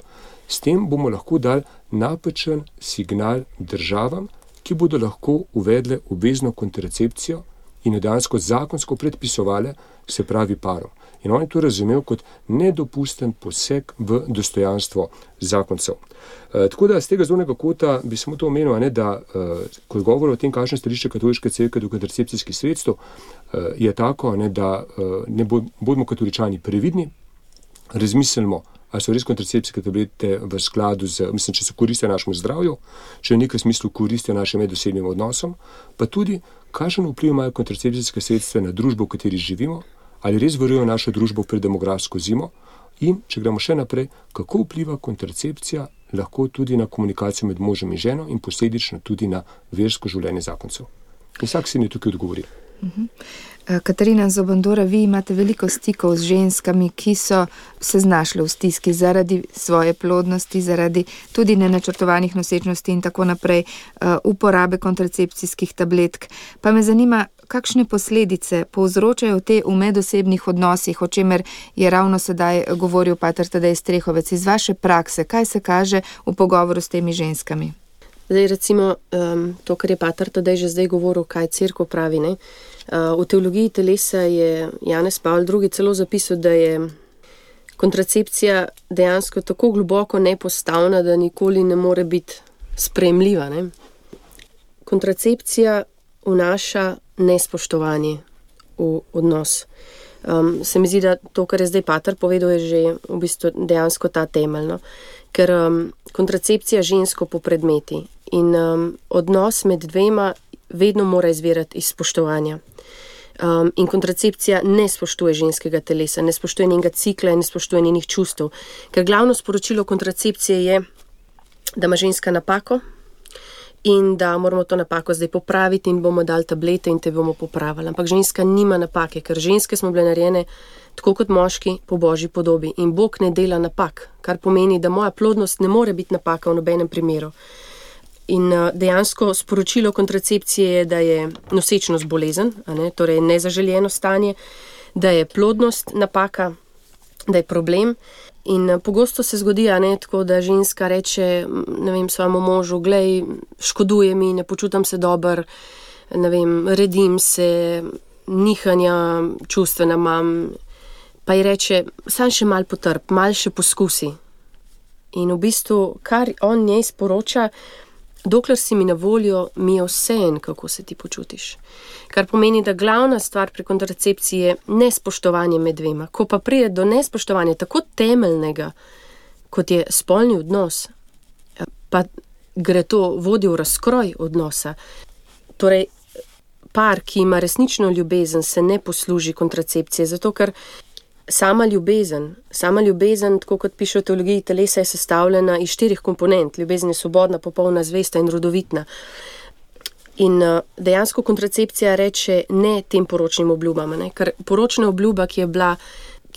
[SPEAKER 2] s tem bomo lahko dali napačen signal državam, ki bodo lahko uvedle obvezno kontracepcijo in jo dejansko zakonsko predpisovale, se pravi parom. In on je to razumel kot nedopusten poseg v dostojanstvo zakoncev. Tako da z tega zornega kota bi samo to omenil, da ko govor o tem, kakšno stališče katoliške cerkve do kontracepcijskih sredstev, je tako, da bodimo katoličani previdni, razmislimo, ali so res kontracepcijske tablete v skladu z, če so koristijo našemu zdravju, če v nekem smislu koristijo našim medosebnim odnosom, pa tudi, kakšen vpliv imajo kontracepcijske sredstva na družbo, v kateri živimo, ali res varujejo našo družbo pred demografsko zimo in, če gremo še naprej, kako vpliva kontracepcija lahko tudi na komunikacijo med možem in ženo in posledično tudi na versko življenje zakoncev. In vsak si ne tukaj odgovori.
[SPEAKER 1] Katarina Zobandora, vi imate veliko stikov z ženskami, ki so se znašle v stiski zaradi svoje plodnosti, zaradi tudi nenačrtovanih nosečnosti in tako naprej, uporabe kontracepcijskih tabletk. Pa me zanima, kakšne posledice povzročajo te v medosebnih odnosih, o čemer je ravno sedaj govoril pater Tadej Strehovec. Iz vaše prakse, kaj se kaže v pogovoru s temi ženskami?
[SPEAKER 4] Zdaj recimo to, kar je pater Tadej že zdaj govoril, kaj cerkev pravi. V teologiji telesa je Janez Pavel II celo zapisal, da je kontracepcija dejansko tako globoko nepostavna, da nikoli ne more biti sprejemljiva. Kontracepcija vnaša nespoštovanje v odnos. Se mi zdi, da to, kar je zdaj pater povedal, je že v bistvu dejansko ta temeljno. Ker kontracepcija žensko popredmeti in odnos med dvema vedno mora izvirati iz spoštovanja. In kontracepcija ne spoštuje ženskega telesa, ne spoštuje njenega cikla in ne spoštuje njenih čustev. Ker glavno sporočilo kontracepcije je, da ima ženska napako in da moramo to napako zdaj popraviti in bomo dali tablete in te bomo popravili. Ampak ženska nima napake, ker ženske smo bile narejene tako kot moški po Božji podobi in Bog ne dela napak, kar pomeni, da moja plodnost ne more biti napaka v nobenem primeru. In dejansko sporočilo kontracepcije je, da je nosečnost bolezen, torej nezaželjeno stanje, da je plodnost napaka, da je problem. In pogosto se zgodi, tako da ženska reče, svojemu možu, glej, škoduje mi, ne počutam se dobro, redim se, nihanja čustvena imam, pa ji reče, sam še mal potrp, mal še poskusi. In v bistvu, kar on njej sporoča, dokler si mi na voljo, mi je vseeno, kako se ti počutiš. Kar pomeni, da glavna stvar pri kontracepciji je nespoštovanje med dvema. Ko pa pride do nespoštovanja tako temeljnega, kot je spolni odnos, pa gre to vodi v razkroj odnosa. Torej, par, ki ima resnično ljubezen, se ne posluži kontracepcije, zato ker sama ljubezen, tako kot piše v teologiji telesa, je sestavljena iz 4 komponent. Ljubezen je svobodna, popolna, zvesta in rodovitna. In dejansko kontracepcija reče ne tem poročnim obljubam, ker poročna obljuba, ki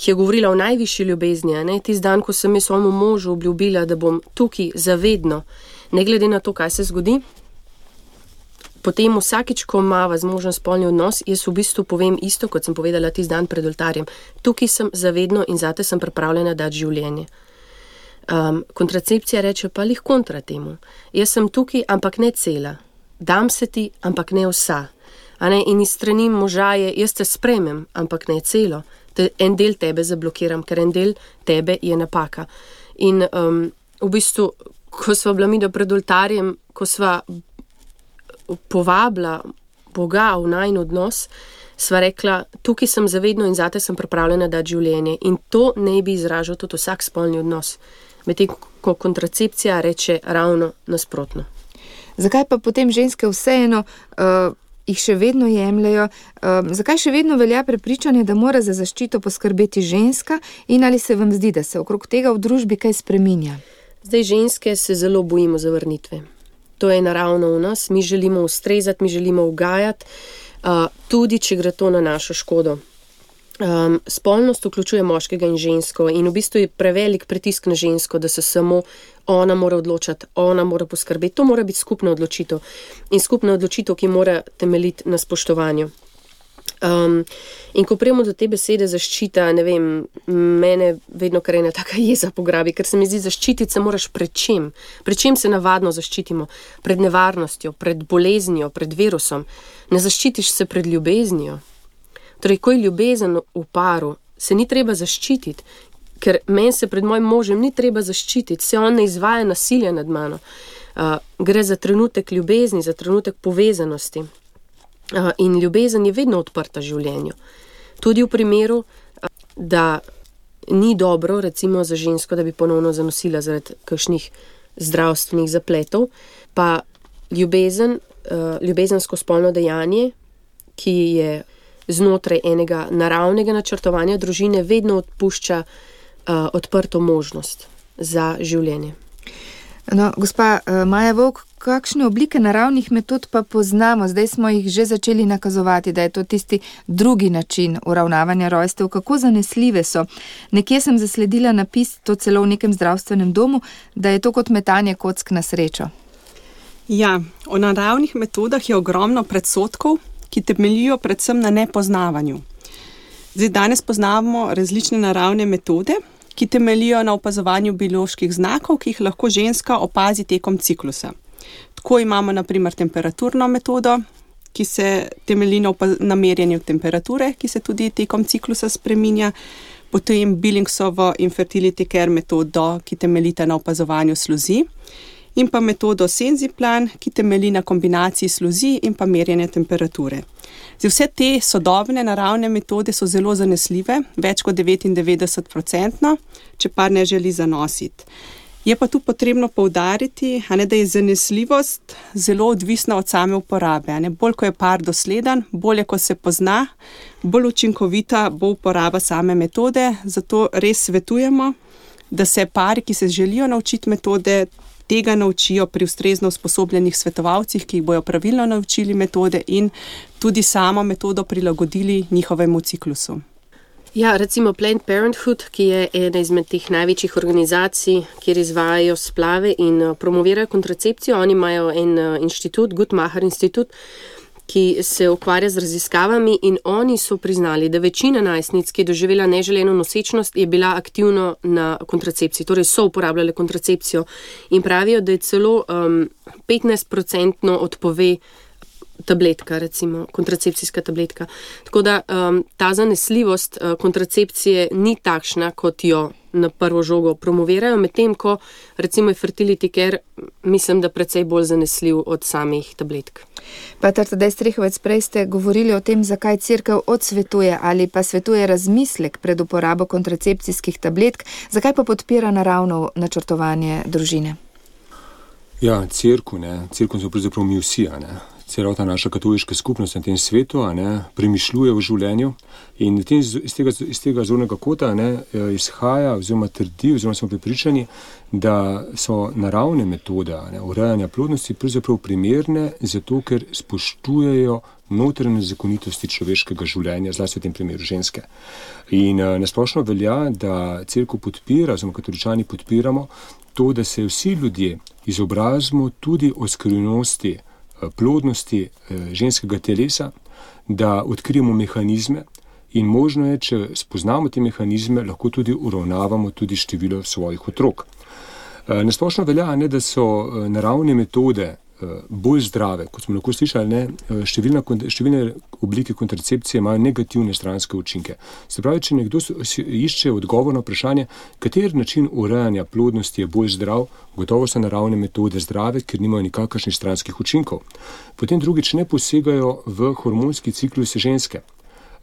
[SPEAKER 4] je govorila o najvišji ljubezni, tisti dan, ko sem jaz svojemu možu obljubila, da bom tukaj zavedno, ne glede na to, kaj se zgodi, potem vsakič, ko imava z možem spolni odnos, jaz v bistvu povem isto, kot sem povedala tisti dan pred oltarjem. Tukaj sem zavedno in zate sem pripravljena dati življenje. Kontracepcija reče pa lih kontra temu. Jaz sem tukaj, ampak ne cela. Dam se ti, ampak ne vsa. In iz strani moža je, jaz te spremem, ampak ne celo. En del tebe zablokiram, ker en del tebe je napaka. In v bistvu, ko sva bila mi pred oltarjem, ko sva povabila Boga v najin odnos, sva rekla, tukaj sem zavedno in zate sem pripravljena dati življenje. In to ne bi izražal tudi vsak spolni odnos. Medtem ko kontracepcija reče ravno nasprotno.
[SPEAKER 1] Zakaj pa potem ženske vseeno jih še vedno jemljajo? Zakaj še vedno velja prepričanje, da mora za zaščito poskrbeti ženska in ali se vam zdi, da se okrog tega v družbi kaj spreminja?
[SPEAKER 4] Zdaj ženske se zelo bojimo zavrnitve. To je naravno v nas, mi želimo ustrezati, mi želimo ugajati, tudi če gre to na našo škodo. Spolnost vključuje moškega in žensko in v bistvu je prevelik pritisk na žensko, da se samo ona mora odločati, ona mora poskrbeti. To mora biti skupna odločitev in skupna odločitev, ki mora temeljiti na spoštovanju. In ko prijemo do te besede zaščita, mene vedno kar ena taka jeza pograbi, ker se mi zdi, zaščititi se moraš pred čem? Pred čem se navadno zaščitimo? Pred nevarnostjo, pred boleznijo, pred virusom. Ne zaščitiš se pred ljubeznijo. Torej, ko je ljubezen v paru, se ni treba zaščititi, ker meni se pred mojim možem ni treba zaščititi, se on ne izvaja nasilja nad mano. Gre za trenutek ljubezni, za trenutek povezanosti. In ljubezen je vedno odprta življenju. Tudi v primeru, da ni dobro, recimo za žensko, da bi ponovno zanosila zaradi kakšnih zdravstvenih zapletov, pa ljubezensko spolno dejanje, ki je znotraj enega naravnega načrtovanja družine, vedno odpušča odprto možnost za življenje.
[SPEAKER 1] No, gospa Maja Vovk, kakšne oblike naravnih metod pa poznamo? Zdaj smo jih že začeli nakazovati, da je to tisti drugi način uravnavanja rojstev. Kako zanesljive so? Nekje sem zasledila napis, to celo v nekem zdravstvenem domu, da je to kot metanje kock na srečo.
[SPEAKER 3] Ja, o naravnih metodah je ogromno predsodkov, ki temeljijo predvsem na nepoznavanju. Zdaj, danes poznamo različne naravne metode, ki temeljijo na opazovanju bioloških znakov, ki jih lahko ženska opazi tekom ciklusa. Tako imamo na primer temperaturno metodo, ki se temelji na merjenju temperature, ki se tudi tekom ciklusa spreminja, potem Billingsovo in Fertility Care metodo, ki temeljita na opazovanju sluzi, in pa metodo Senziplan, ki temelji na kombinaciji sluzi in pa merjenja temperature. Zdaj, vse te sodobne naravne metode so zelo zanesljive, več kot 99%, če par ne želi zanositi. Je pa tu potrebno poudariti, da je zanesljivost zelo odvisna od same uporabe. Bolj, ko je par dosleden, bolje, ko se pozna, bolj učinkovita bo uporaba same metode, zato res svetujemo, da se pari, ki se želijo naučiti metode, tega naučijo pri ustrezno usposobljenih svetovalcih, ki jih bojo pravilno naučili metode in tudi samo metodo prilagodili njihovemu ciklusu.
[SPEAKER 4] Ja, recimo Planned Parenthood, ki je ena izmed teh največjih organizacij, kjer izvajajo splave in promovirajo kontracepcijo. Oni imajo en inštitut, Guttmacher Institut, ki se ukvarja z raziskavami in oni so priznali, da večina najstnic, ki je doživela neželeno nosečnost, je bila aktivno na kontracepciji, torej so uporabljale kontracepcijo in pravijo, da je celo 15% odpove tabletka, recimo kontracepcijska tabletka. Tako da ta zanesljivost kontracepcije ni takšna, kot jo na prvo žogo promovirajo, medtem ko recimo je fertility care, mislim, da precej bolj zanesljiv od samih tabletk.
[SPEAKER 1] Pater Tadej Strehovec, prej ste govorili o tem, zakaj cerkev odsvetuje ali pa svetuje razmislek pred uporabo kontracepcijskih tabletk, zakaj pa podpira naravno načrtovanje družine?
[SPEAKER 2] Ja, cerkev so pravzaprav mi vsi, celota naša katoliška skupnost na tem svetu, premišljuje v življenju in iz tega zornega kota izhaja oziroma trdi, oziroma smo prepričani, da so naravne metode urejanja plodnosti pravzaprav primerne, zato ker spoštujejo notranje zakonitosti človeškega življenja, zlasti v tem primeru ženske. In nasplošno velja, da cerkev podpira, oziroma katoličani podpiramo to, da se vsi ljudje izobrazimo tudi o skrivnosti plodnosti ženskega telesa, da odkrijemo mehanizme in možno je, če spoznamo te mehanizme, lahko tudi uravnavamo tudi število svojih otrok. Nasplošno velja, da so naravne metode bolj zdrave, kot smo lahko slišali, številne oblike kontracepcije imajo negativne stranske učinke. Se pravi, če nekdo išče odgovor na vprašanje, kateri način urejanja plodnosti je bolj zdrav, gotovo so naravne metode zdrave, ker nimajo nikakršnih stranskih učinkov. Potem drugič ne posegajo v hormonski ciklus ženske.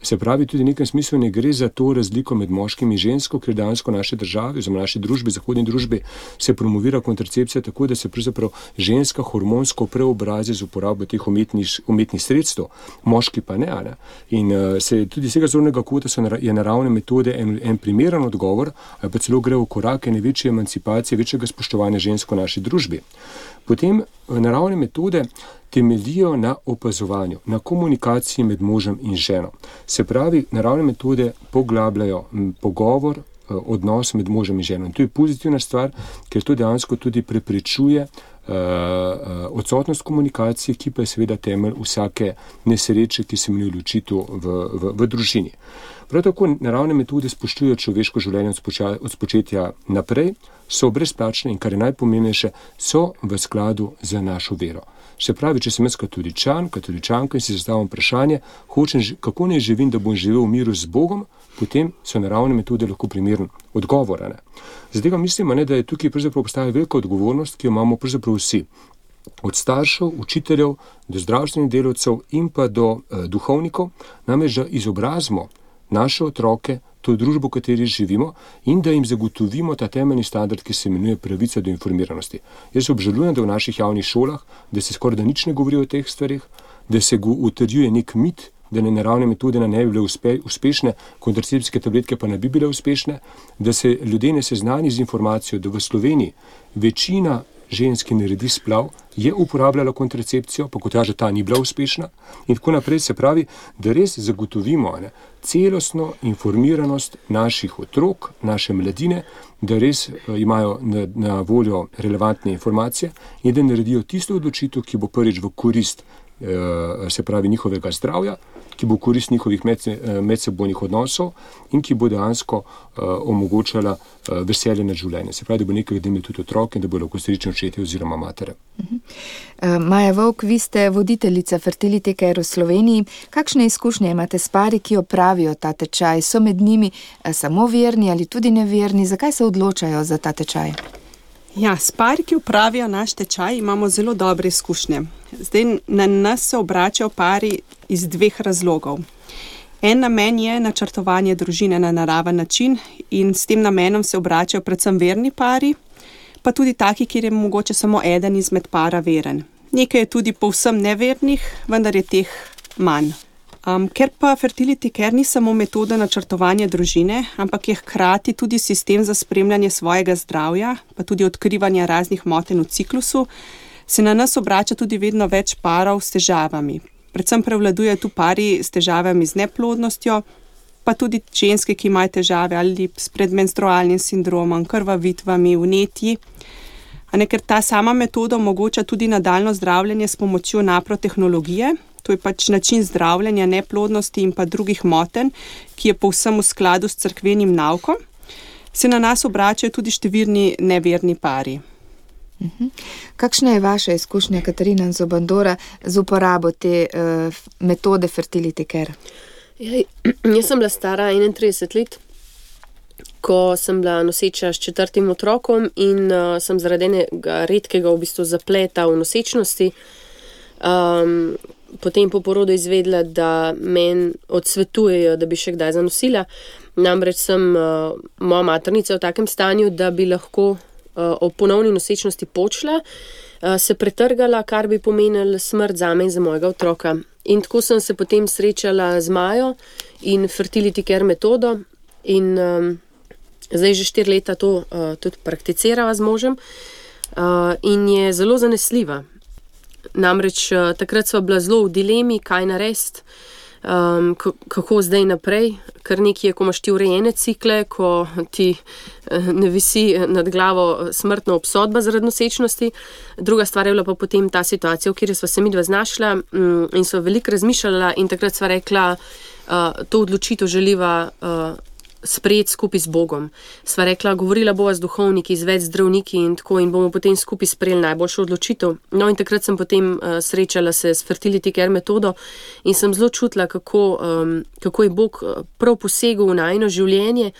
[SPEAKER 2] Se pravi, tudi v nekem smislu ne gre za to razliko med moškim in žensko, ker dejansko naše države, oziroma naši družbi, zahodni družbi, se promovira kontracepcija tako, da se pravzaprav ženska hormonsko preobrazi z uporabo teh umetnih sredstev, moški pa ne. In tudi z tega zornega kota je naravne metode en primeren odgovor, ali pa celo gre v korak ene večje emancipacije, večjega spoštovanja žensk v naši družbi. Potem naravne metode temeljijo na opazovanju, na komunikaciji med možem in ženo. Se pravi, naravne metode poglabljajo pogovor, odnos med možem in ženo. In to je pozitivna stvar, ker to dejansko tudi preprečuje odsotnost komunikacije, ki pa je seveda temelj vsake nesreče, ki se imenuje ločitev v družini. Prav tako naravne metode spoštujejo človeško življenje od spočetja naprej, so brezplačne in, kar je najpomembnejše, so v skladu z našo vero. Se pravi, če sem jaz katoličanka in si zastavim vprašanje, kako naj živim, da bom živel v miru z Bogom, potem so naravne metode lahko primeren odgovor. Zato mislim, da je tukaj pravzaprav obstaja velika odgovornost, ki jo imamo pravzaprav vsi. Od staršev, učiteljev, do zdravstvenih delavcev in pa do duhovnikov, namreč da izobrazimo naše otroke, to družbo, v kateri živimo, in da jim zagotovimo ta temeljni standard, ki se imenuje pravica do informiranosti. Jaz obžalujem, da v naših javnih šolah, da se skoraj da nič ne govori o teh stvarih, da se utrjuje nek mit, da naravne metode ne bi bile uspešne, kontracepcijske tabletke pa ne bi bile uspešne, da se ljudje ne seznani z informacijo, da v Sloveniji večina ženski naredi splav, je uporabljala kontracepcijo, pa kot kaže, ta ni bila uspešna in tako naprej. Se pravi, da res zagotovimo celostno informiranost naših otrok, naše mladine, da res imajo na voljo relevantne informacije in da naredijo tisto odločitev, ki bo prvič v korist, se pravi, njihovega zdravja, ki bo korist njihovih medsebojnih odnosov in ki bo dejansko omogočala veselje nad življenjem. Se pravi, da bo nekaj, da imajo tudi otroke in da bo lahko srečni očetje oziroma matere.
[SPEAKER 1] Maja Vovk, vi ste voditeljica Fertility Care v Sloveniji. Kakšne izkušnje imate s pari, ki opravijo ta tečaj? So med njimi samo verni ali tudi neverni? Zakaj se odločajo za ta tečaj?
[SPEAKER 3] Ja, s pari, ki upravijo naš tečaj, imamo zelo dobre izkušnje. Zdaj na nas se obračajo pari iz dveh razlogov. En namen je načrtovanje družine na naraven način in s tem namenom se obračajo predvsem verni pari, pa tudi taki, kjer je mogoče samo eden izmed para veren. Nekaj je tudi povsem nevernih, vendar je teh manj. Ker pa fertility care ni samo metoda načrtovanja družine, ampak je hkrati tudi sistem za spremljanje svojega zdravja, pa tudi odkrivanje raznih motenj v ciklusu, se na nas obrača tudi vedno več parov s težavami. Predvsem prevladuje tu pari s težavami z neplodnostjo, pa tudi ženske, ki imajo težave ali s predmenstrualnim sindromom, krvavitvami, vnetji. Ker ta sama metoda omogoča tudi nadaljnjo zdravljenje s pomočjo naprotehnologije. To je pač način zdravljenja neplodnosti in pa drugih motenj, ki je povsem v skladu s cerkvenim naukom. Se na nas obračajo tudi številni neverni pari.
[SPEAKER 1] Kakšna je vaša izkušnja, Katarina Zobandora, z uporabo te metode fertility care?
[SPEAKER 4] Jaz sem bila stara 31 let, ko sem bila noseča s 4. otrokom in sem zaradi enega redkega v bistvu zapleta v nosečnosti potem po porodu izvedela, da meni odsvetujejo, da bi še kdaj zanosila. Namreč sem moja maternica v takem stanju, da bi lahko ob ponovni nosečnosti počla, se pretrgala, kar bi pomenilo smrt zame in za mojega otroka. In tako sem se potem srečala z Majo in fertility care metodo in zdaj že 4 leta to tudi prakticirava z možem in je zelo zanesljiva. Namreč takrat sva bila zelo v dilemi, kaj narediti, kako zdaj naprej, ker nekaj je, ko imaš ti urejene cikle, ko ti ne visi nad glavo smrtna obsodba zaradi nosečnosti. Druga stvar je bila pa potem ta situacija, v kateri sva se midva znašla in sva veliko razmišljala in takrat sva rekla, to odločitev želiva sprejeti skupaj z Bogom. Sva rekla, govorila bova z duhovniki, z več zdravniki in tako in bomo potem skupaj sprejeli najboljšo odločitev. No in takrat sem potem srečala se s fertility care metodo in sem zelo čutila, kako je Bog prav posegel v najino življenje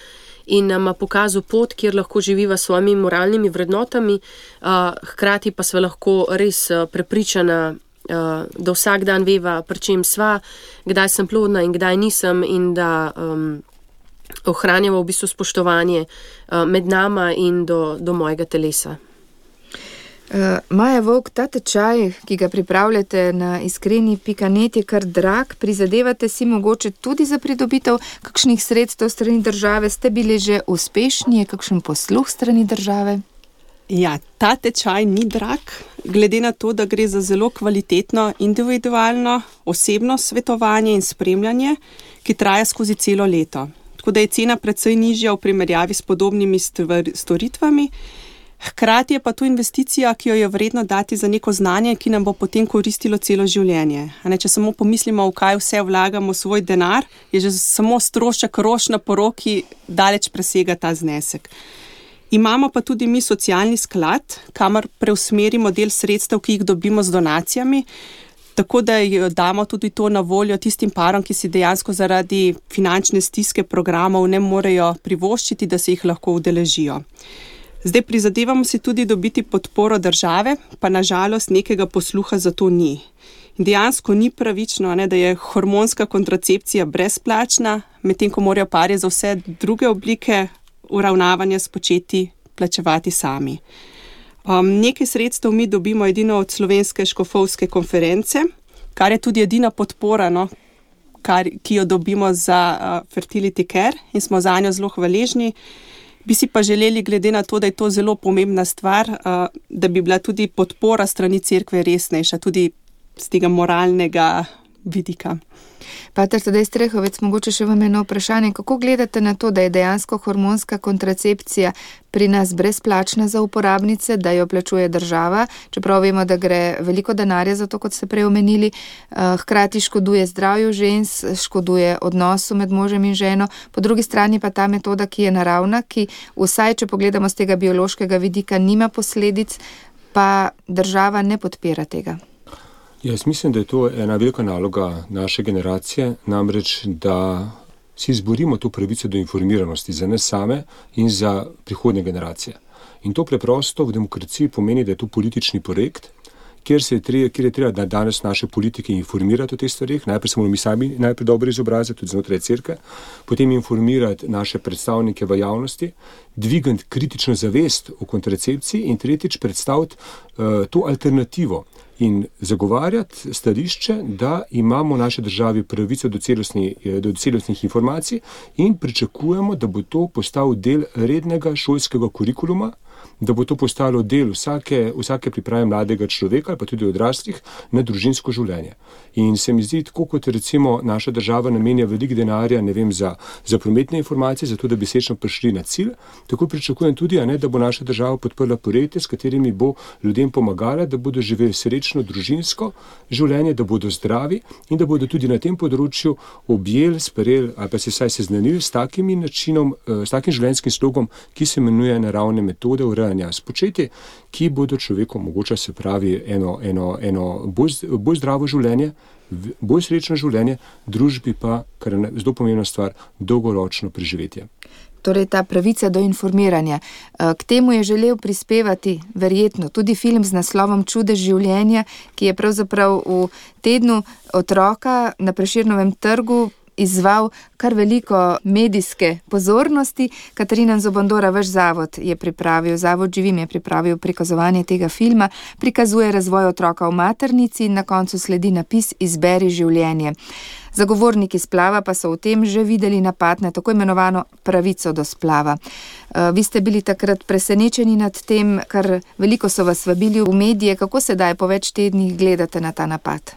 [SPEAKER 4] in nam pokazal pot, kjer lahko živiva s svojimi moralnimi vrednotami, hkrati pa sva lahko res prepričana, da vsak dan veva, pri čem sva, kdaj sem plodna in kdaj nisem in da ohranjava v bistvu spoštovanje med nama in do mojega telesa.
[SPEAKER 1] Maja Vovk, ta tečaj, ki ga pripravljate na iskreni.net, je kar drag. Prizadevate si mogoče tudi za pridobitev kakšnih sredstev strani države? Ste bili že uspešni? Je kakšen posluh strani države?
[SPEAKER 3] Ja, ta tečaj ni drag, glede na to, da gre za zelo kvalitetno, individualno, osebno svetovanje in spremljanje, ki traja skozi celo leto. Tako da je cena precej nižja v primerjavi s podobnimi storitvami. Hkrati je pa to investicija, ki jo je vredno dati za neko znanje, ki nam bo potem koristilo celo življenje. Če samo pomislimo, v kaj vse vlagamo svoj denar, je že samo strošek rož na poroki daleč presega ta znesek. Imamo pa tudi mi socialni sklad, kamor preusmerimo del sredstev, ki jih dobimo z donacijami, tako da damo tudi to na voljo tistim parom, ki si dejansko zaradi finančne stiske programov ne morejo privoščiti, da se jih lahko udeležijo. Zdaj prizadevamo si tudi dobiti podporo države, pa nažalost nekega posluha za to ni. In dejansko ni pravično, da je hormonska kontracepcija brezplačna, medtem ko morajo pari za vse druge oblike uravnavanja spočeti plačevati sami. Nekaj sredstev mi dobimo edino od Slovenske škofovske konference, kar je tudi edina podpora, ki jo dobimo za fertility care in smo zanjo zelo hvaležni. Bi si pa želeli, glede na to, da je to zelo pomembna stvar, da bi bila tudi podpora strani cerkve resnejša, tudi z tega moralnega vidika.
[SPEAKER 1] Pater Tadej Strehovec, mogoče še vam eno vprašanje. Kako gledate na to, da je dejansko hormonska kontracepcija pri nas brezplačna za uporabnice, da jo plačuje država, čeprav vemo, da gre veliko denarja za to, kot ste prej omenili, hkrati škoduje zdravju žensk, škoduje odnosu med možem in ženo, po drugi strani pa ta metoda, ki je naravna, ki vsaj, če pogledamo z tega biološkega vidika, nima posledic, pa država ne podpira tega.
[SPEAKER 2] Jaz mislim, da je to ena velika naloga naše generacije, namreč, da si izborimo to pravico do informiranosti za nas same in za prihodnje generacije. In to preprosto v demokraciji pomeni, da je to politični projekt, kjer je treba da danes naše politike informirati o teh stvarih. Najprej se moramo mi sami najprej dobro izobraziti, tudi znotraj cerkve, potem informirati naše predstavnike v javnosti, dvigati kritično zavest o kontracepciji in tretjič predstaviti to alternativo. in zagovarjati stališče, da imamo v naši državi pravico do celostnih informacij in pričakujemo, da bo to postal del rednega šolskega kurikuluma, da bo to postalo del vsake priprave mladega človeka ali pa tudi odraslih na družinsko življenje. In se mi zdi, tako kot recimo naša država namenja veliko denarja, za prometne informacije, zato da bi sečno prišli na cilj, tako pričakujem tudi, da bo naša država podprla projekte, s katerimi bo ljudem pomagala, da bodo živeli srečno družinsko življenje, da bodo zdravi in da bodo tudi na tem področju objeli, sprejeli ali pa se vsaj seznanili s takim načinom, s takim življenjskim slogom, ki se imenuje naravne metode urejanja spočetja, ki bodo človeku omogočali, se pravi, eno bolj zdravo življenje, bolj srečno življenje, družbi pa, kar je zelo pomembna stvar, dolgoročno preživetje.
[SPEAKER 1] Torej ta pravica do informiranja. K temu je želel prispevati verjetno tudi film z naslovom Čudež življenja, ki je pravzaprav v tednu otroka na Prešernovem trgu izzval kar veliko medijske pozornosti. Katarina Zobondora, vaš zavod Živim je pripravil prikazovanje tega filma, prikazuje razvoj otroka v maternici in na koncu sledi napis Izberi življenje. Zagovorniki splava pa so v tem že videli napad na tako imenovano pravico do splava. Vi ste bili takrat presenečeni nad tem, kar veliko so vas vabili v medije. Kako sedaj po več tednih gledate na ta napad?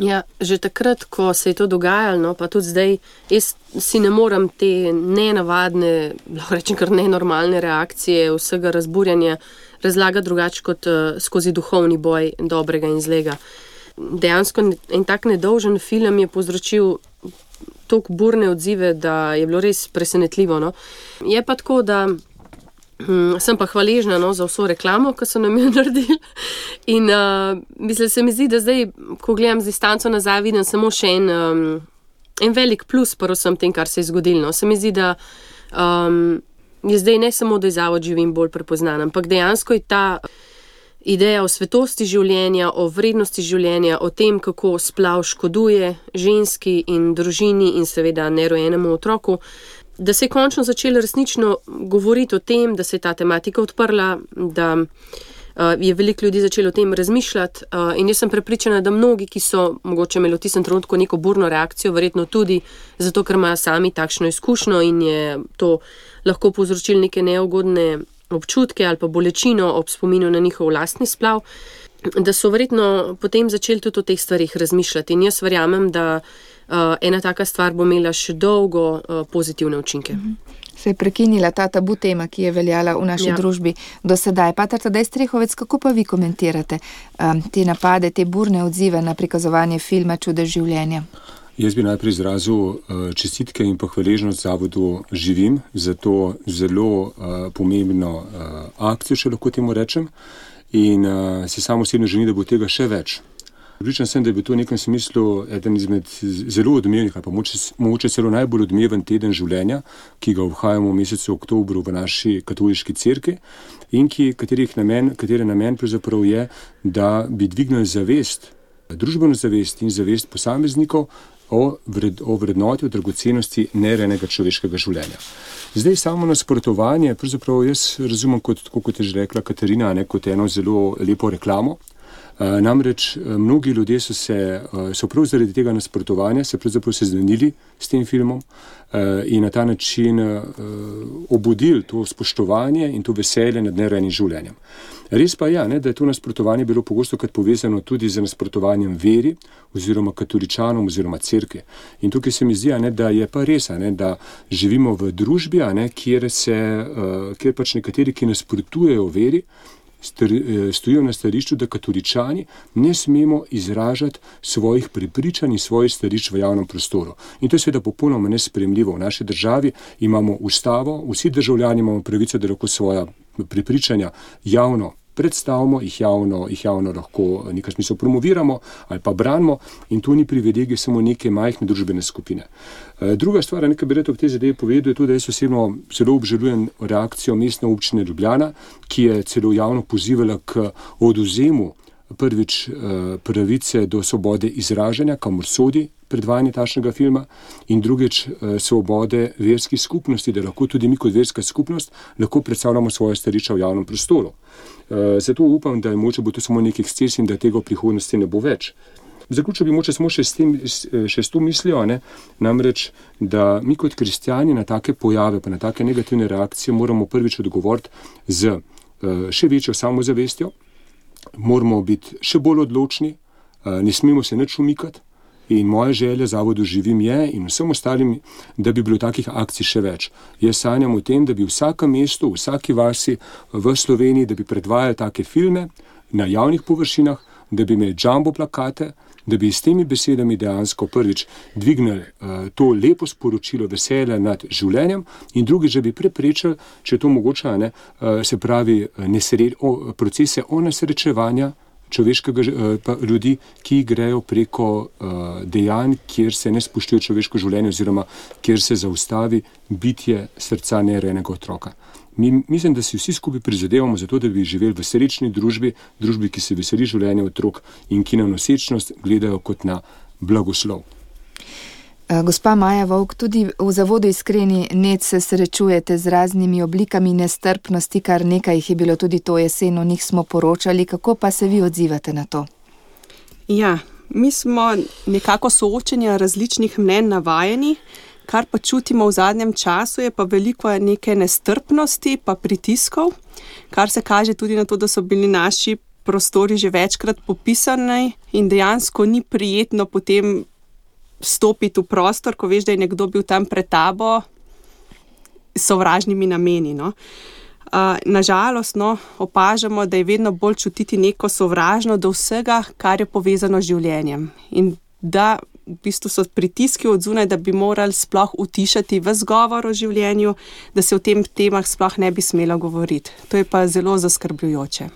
[SPEAKER 4] Ja, že takrat, ko se je to dogajalo, pa tudi zdaj, jaz si ne morem te nenavadne, lahko rečem kar nenormalne reakcije, vsega razburjanja razlagati drugače kot skozi duhovni boj dobrega in zlega. Dejansko en tak nedolžen film je povzročil toliko burne odzive, da je bilo res presenetljivo. No. Je pa tako, da sem pa hvaležna za vso reklamo, ki so nam jo naredili. In se mi zdi, da zdaj, ko gledam z distanco nazaj, vidim samo še en velik plus pri vsem tem, kar se je zgodilo. No. Se mi zdi, da je zdaj ne samo, da je zavod Živim bolj prepoznan, ampak dejansko je ta ideja o svetosti življenja, o vrednosti življenja, o tem, kako splav škoduje ženski in družini in seveda nerojenemu otroku, da se je končno začelo resnično govoriti o tem, da se je ta tematika odprla, da je veliko ljudi začelo o tem razmišljati in jaz sem prepričana, da mnogi, ki so mogoče imeli v tistem trenutku neko burno reakcijo, verjetno tudi zato, ker imajo sami takšno izkušnjo in je to lahko povzročilo neke neugodne občutke ali pa bolečino ob spominu na njihov lastni splav, da so verjetno potem začeli tudi o teh stvarih razmišljati. In jaz verjamem, da ena taka stvar bo imela še dolgo pozitivne učinke.
[SPEAKER 1] Se je prekinila ta tabu tema, ki je veljala v naši družbi do sedaj. Pater Tadej Strehovec, kako pa vi komentirate te napade, te burne odzive na prikazovanje filma Čudež življenja?
[SPEAKER 2] Jaz bi najprej izrazil čestitke in pa hvaležnost zavodu Živim za to zelo pomembno akcijo, če lahko temu rečem, in si samo osebno želim, da bo tega še več. Pripričan sem, da je bil to v nekem smislu eden izmed zelo odmevnih, ali pa mogoče celo najbolj odmeven teden življenja, ki ga obhajamo v mesecu oktobru v naši katoliški cerkvi in katere namen pravzaprav je, da bi dvignili zavest, družbeno zavest in zavest posameznikov o vrednoti, o dragocenosti nerejenega človeškega življenja. Zdaj samo nasprotovanje, pravzaprav jaz razumem kot je že rekla Katarina, kot eno zelo lepo reklamo. Namreč mnogi ljudje so prav zaradi tega nasprotovanja se pravzaprav seznanili s tem filmom in na ta način obudili to spoštovanje in to veselje nad nerejenim življenjem. Res pa je, da je to nasprotovanje bilo pogosto krat povezano tudi z nasprotovanjem veri oziroma katoličanom oziroma cerkvi. In tukaj se mi zdi, da je pa res, da živimo v družbi, kjer pač nekateri, ki nasprotujejo veri, stojijo na stališču, da katoličani ne smemo izražati svojih prepričanj in svojih stališč v javnem prostoru. In to je seveda popolnoma nesprejemljivo. V naši državi imamo ustavo, vsi državljani imamo pravico, da lahko svoja prepričanja javno predstavimo, jih javno lahko v nekem smislu promoviramo ali pa branimo in to ni privilegij samo neke majhne družbene skupine. Druga stvar, nekaj bi rekel v tej zadevi povedal, je to, da jaz osebno zelo obžalujem reakcijo Mestne občine Ljubljana, ki je celo javno pozivala k odvzemu prvič pravice do svobode izražanja, kamor sodi predvajanje takšnega filma in drugič svobode verskih skupnosti, da lahko tudi mi kot verska skupnost lahko predstavljamo svoje stališča v javnem prostoru. Zato upam, da mogoče bo to samo nek eksces in da tega v prihodnosti ne bo več. Zaključil bi moče samo še s to mislijo, namreč, da mi kot kristjani na take pojave, pa na take negativne reakcije moramo prvič odgovoriti z še večjo samozavestjo, moramo biti še bolj odločni, ne smemo se nič umikati in moja želja Zavodu Živim je in vsem ostalim, da bi bilo takih akcij še več. Jaz sanjam o tem, da bi v vsakem mestu, v vsaki vasi v Sloveniji, da bi predvajali take filme na javnih površinah, da bi imeli jumbo plakate, da bi s temi besedami dejansko prvič dvignili to lepo sporočilo veselja nad življenjem in drugič, da bi preprečili, če je to mogoče, se pravi procese onesrečevanja človeškega ljudi, ki grejo preko dejanj, kjer se ne spoštuje človeško življenje oziroma kjer se zaustavi bitje srca nerojenega otroka. Mislim, da si vsi skupaj prizadevamo za to, da bi živeli v srečni družbi, ki se veseli življenja otrok in ki na nosečnost gledajo kot na blagoslov.
[SPEAKER 1] Gospa Maja Vovk, tudi v Zavodu Iskreni net se srečujete z raznimi oblikami nestrpnosti, kar nekaj jih je bilo tudi to jesen, o njih smo poročali. Kako pa se vi odzivate na to?
[SPEAKER 3] Ja, mi smo nekako soočenja različnih mnenj navajeni, kar pa čutimo v zadnjem času je pa veliko neke nestrpnosti pa pritiskov, kar se kaže tudi na to, da so bili naši prostori že večkrat popisani in dejansko ni prijetno potem stopiti v prostor, ko veš, da je nekdo bil tam pred tabo s sovražnimi nameni. Nažalost, opažamo, da je vedno bolj čutiti neko sovražno do vsega, kar je povezano z življenjem. In da v bistvu so pritiski od zunaj, da bi morali sploh utišati ves govor o življenju, da se o tem temah sploh ne bi smelo govoriti. To je pa zelo zaskrbljujoče.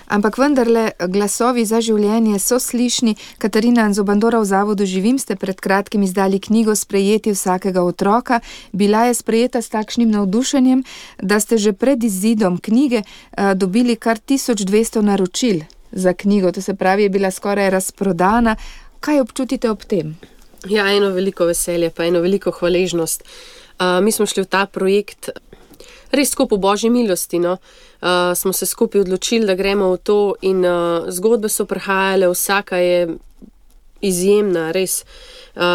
[SPEAKER 1] Ampak vendarle glasovi za življenje so slišni. Katarina Anzobandora, v Zavodu Živim ste pred kratkim izdali knjigo Sprejeti vsakega otroka. Bila je sprejeta s takšnim navdušenjem, da ste že pred izidom knjige dobili kar 1200 naročil za knjigo. To se pravi, je bila skoraj razprodana. Kaj občutite ob tem?
[SPEAKER 4] Ja, eno veliko veselje, pa eno veliko hvaležnost. Mi smo šli v ta projekt res tako po božji milosti, smo se skupaj odločili, da gremo v to in zgodbe so prihajale, vsaka je izjemna, res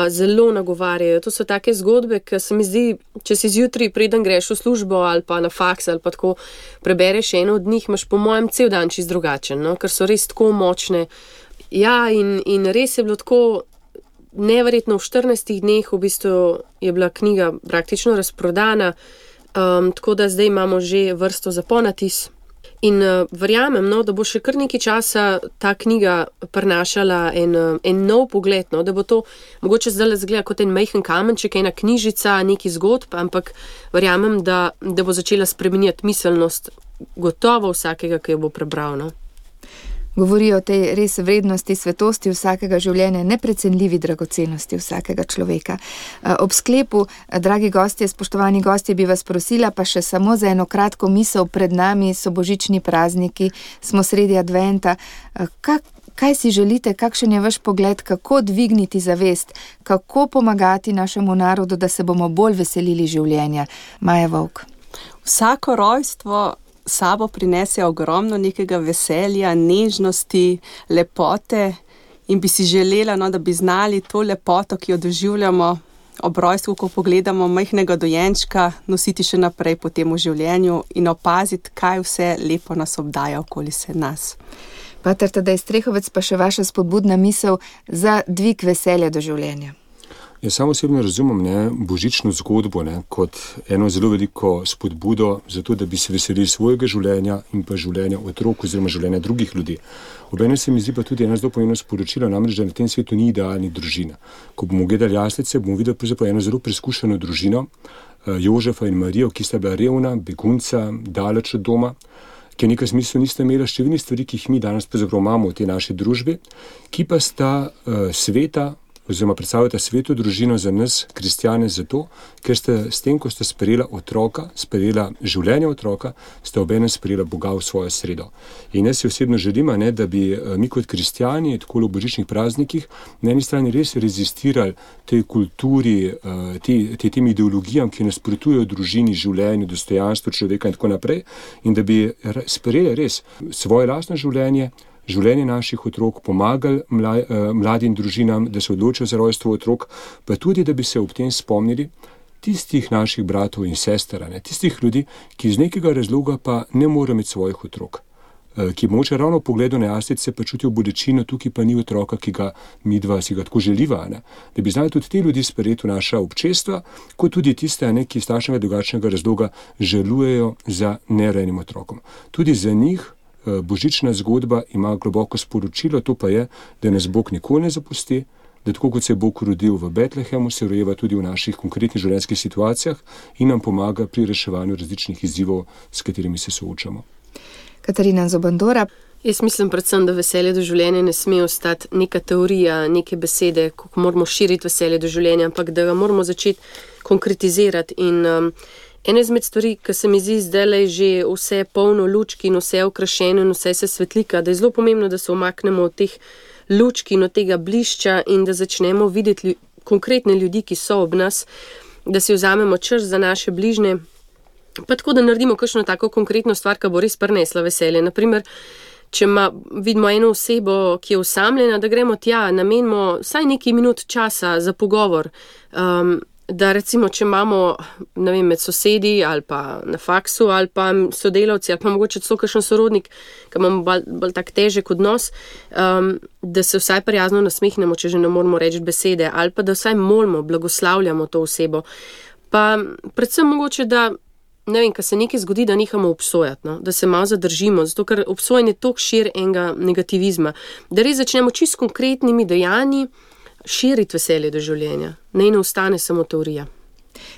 [SPEAKER 4] zelo nagovarjajo. To so take zgodbe, ki se mi zdi, če si zjutraj preden greš v službo ali pa na faks ali pa tako prebereš eno od njih, imaš po mojem cel dan čist drugačen, ker so res tako močne. Ja, in res je bilo tako neverjetno, v 14 dneh v bistvu je bila knjiga praktično razprodana, tako da zdaj imamo že vrsto za ponatis. In verjamem, da bo še kar nekaj časa ta knjiga prinašala en nov pogled, da bo to mogoče zdaj zgleda kot en majhen kamenček, ena knjižica, neki zgodb, ampak verjamem, da bo začela spreminjati miselnost gotovo vsakega, ki jo bo prebral.
[SPEAKER 1] Govori o tej res vrednosti, svetosti vsakega življenja, neprecenljivi dragocenosti vsakega človeka. Ob sklepu, dragi gostje, spoštovani gostje, bi vas prosila pa še samo za eno kratko misel. Pred nami so božični prazniki, smo sredi adventa. Kaj si želite, kakšen je vaš pogled, kako dvigniti zavest, kako pomagati našemu narodu, da se bomo bolj veselili življenja? Maja Vovk.
[SPEAKER 3] Vsako rojstvo sabo prinese ogromno nekega veselja, nežnosti, lepote in bi si želela, da bi znali to lepoto, ki jo doživljamo ob rojstvu, ko pogledamo majhnega dojenčka, nositi še naprej potem v življenju in opaziti, kaj vse lepo nas obdaja okoli se nas.
[SPEAKER 1] Pater Tadej Strehovec, pa še vaša spodbudna misel za dvig veselja do življenja.
[SPEAKER 2] Jaz samo osebno razumem božično zgodbo kot eno zelo veliko spodbudo za to, da bi se veselili svojega življenja in pa življenja otrok oziroma življenja drugih ljudi. Obenem se mi zdi pa tudi eno zelo pomembno sporočilo, namreč, da na tem svetu ni idealnih družin. Ko bomo gledali jaslice, bomo videli eno zelo preizkušeno družino, Jožefa in Marijo, ki sta bila revna, begunca, daleč od doma, ki v nekem smislu nista imela številnih stvari, ki jih mi danes pravzaprav imamo v tej naši družbi, ki pa sta sveta, oziroma predstavljata sveto družino za nas, kristjane, zato, ker ste s tem, ko ste sprejela otroka, sprejela življenje otroka, ste obenem sprejela Boga v svojo sredo. In jaz si osebno želim, da bi mi kot kristjani, tako v božičnih praznikih, na eni strani res rezistirali tej kulturi, tem ideologijam, ki nasprotujejo družini, življenju, dostojanstvu človeka in tako naprej, in da bi sprejeli res svoje lastno življenje naših otrok, pomagali mladim družinam, da se odločijo za rojstvo otrok, pa tudi, da bi se ob tem spomnili tistih naših bratov in sester, tistih ljudi, ki iz nekega razloga pa ne morejo imeti svojih otrok, ki mogoče ravno v pogledu na jaslice pa čutijo bolečino, tukaj pa ni otroka, ki ga midva si ga tako želiva, da bi znali tudi te ljudi sprejeti v naša občestva, kot tudi tiste, ki iz takšnega drugačnega razloga žalujejo za nerojenim otrokom. Tudi za njih božična zgodba ima globoko sporočilo, to pa je, da nas Bog nikoli ne zapusti, da tako kot se je Bog rodil v Betlehemu, se rojeva tudi v naših konkretnih življenjskih situacijah in nam pomaga pri reševanju različnih izzivov, s katerimi se soočamo.
[SPEAKER 1] Katarina Zobandora.
[SPEAKER 4] Jaz mislim predvsem, da veselje do življenja ne sme ostati neka teorija, neke besede, kako moramo širiti veselje do življenja, ampak da ga moramo začeti konkretizirati. In ena izmed stvari, ki se mi zdi zdaj že vse polno lučki in vse okrašeno in vse se svetlika, da je zelo pomembno, da se umaknemo od teh lučki in od tega blišča in da začnemo videti konkretne ljudi, ki so ob nas, da si vzamemo čas za naše bližnje, pa tako, da naredimo kakšno tako konkretno stvar, ki bo res prinesla veselje. Naprimer, če vidimo eno osebo, ki je osamljena, da gremo tja, namenimo vsaj nekaj minut časa za pogovor, da recimo, če imamo, ne vem, med sosedi ali pa na faksu ali pa sodelavci ali pa mogoče celo kakšen sorodnik, ki imamo bolj tak težek odnos, da se vsaj prijazno nasmehnemo, če že ne moramo reči besede, ali pa da vsaj molimo, blagoslavljamo to osebo. Pa predvsem mogoče, da ne vem, ko se nekaj zgodi, da nehamo obsojati, no? Da se malo zadržimo, zato ker obsojanje tok širi enega negativizma, da res začnemo čisto konkretnimi dejanji širiti veselje do življenja, ne ostane samo teorija.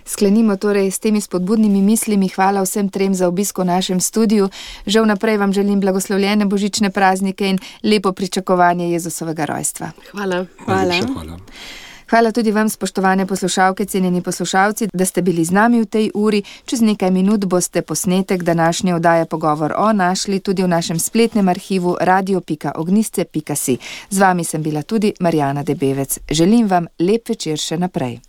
[SPEAKER 1] Sklenimo torej s temi spodbudnimi mislimi. Hvala vsem trem za obisk v našem studiu. Že vnaprej vam želim blagoslovljene božične praznike in lepo pričakovanje Jezusovega rojstva.
[SPEAKER 4] Hvala.
[SPEAKER 1] Hvala tudi vam, spoštovane poslušalke, cenjeni poslušalci, da ste bili z nami v tej uri. Čez nekaj minut boste posnetek današnje oddaje Pogovor o našli tudi v našem spletnem arhivu radio.ognisce.si. Z vami sem bila tudi Marjana Debevec. Želim vam lep večer še naprej.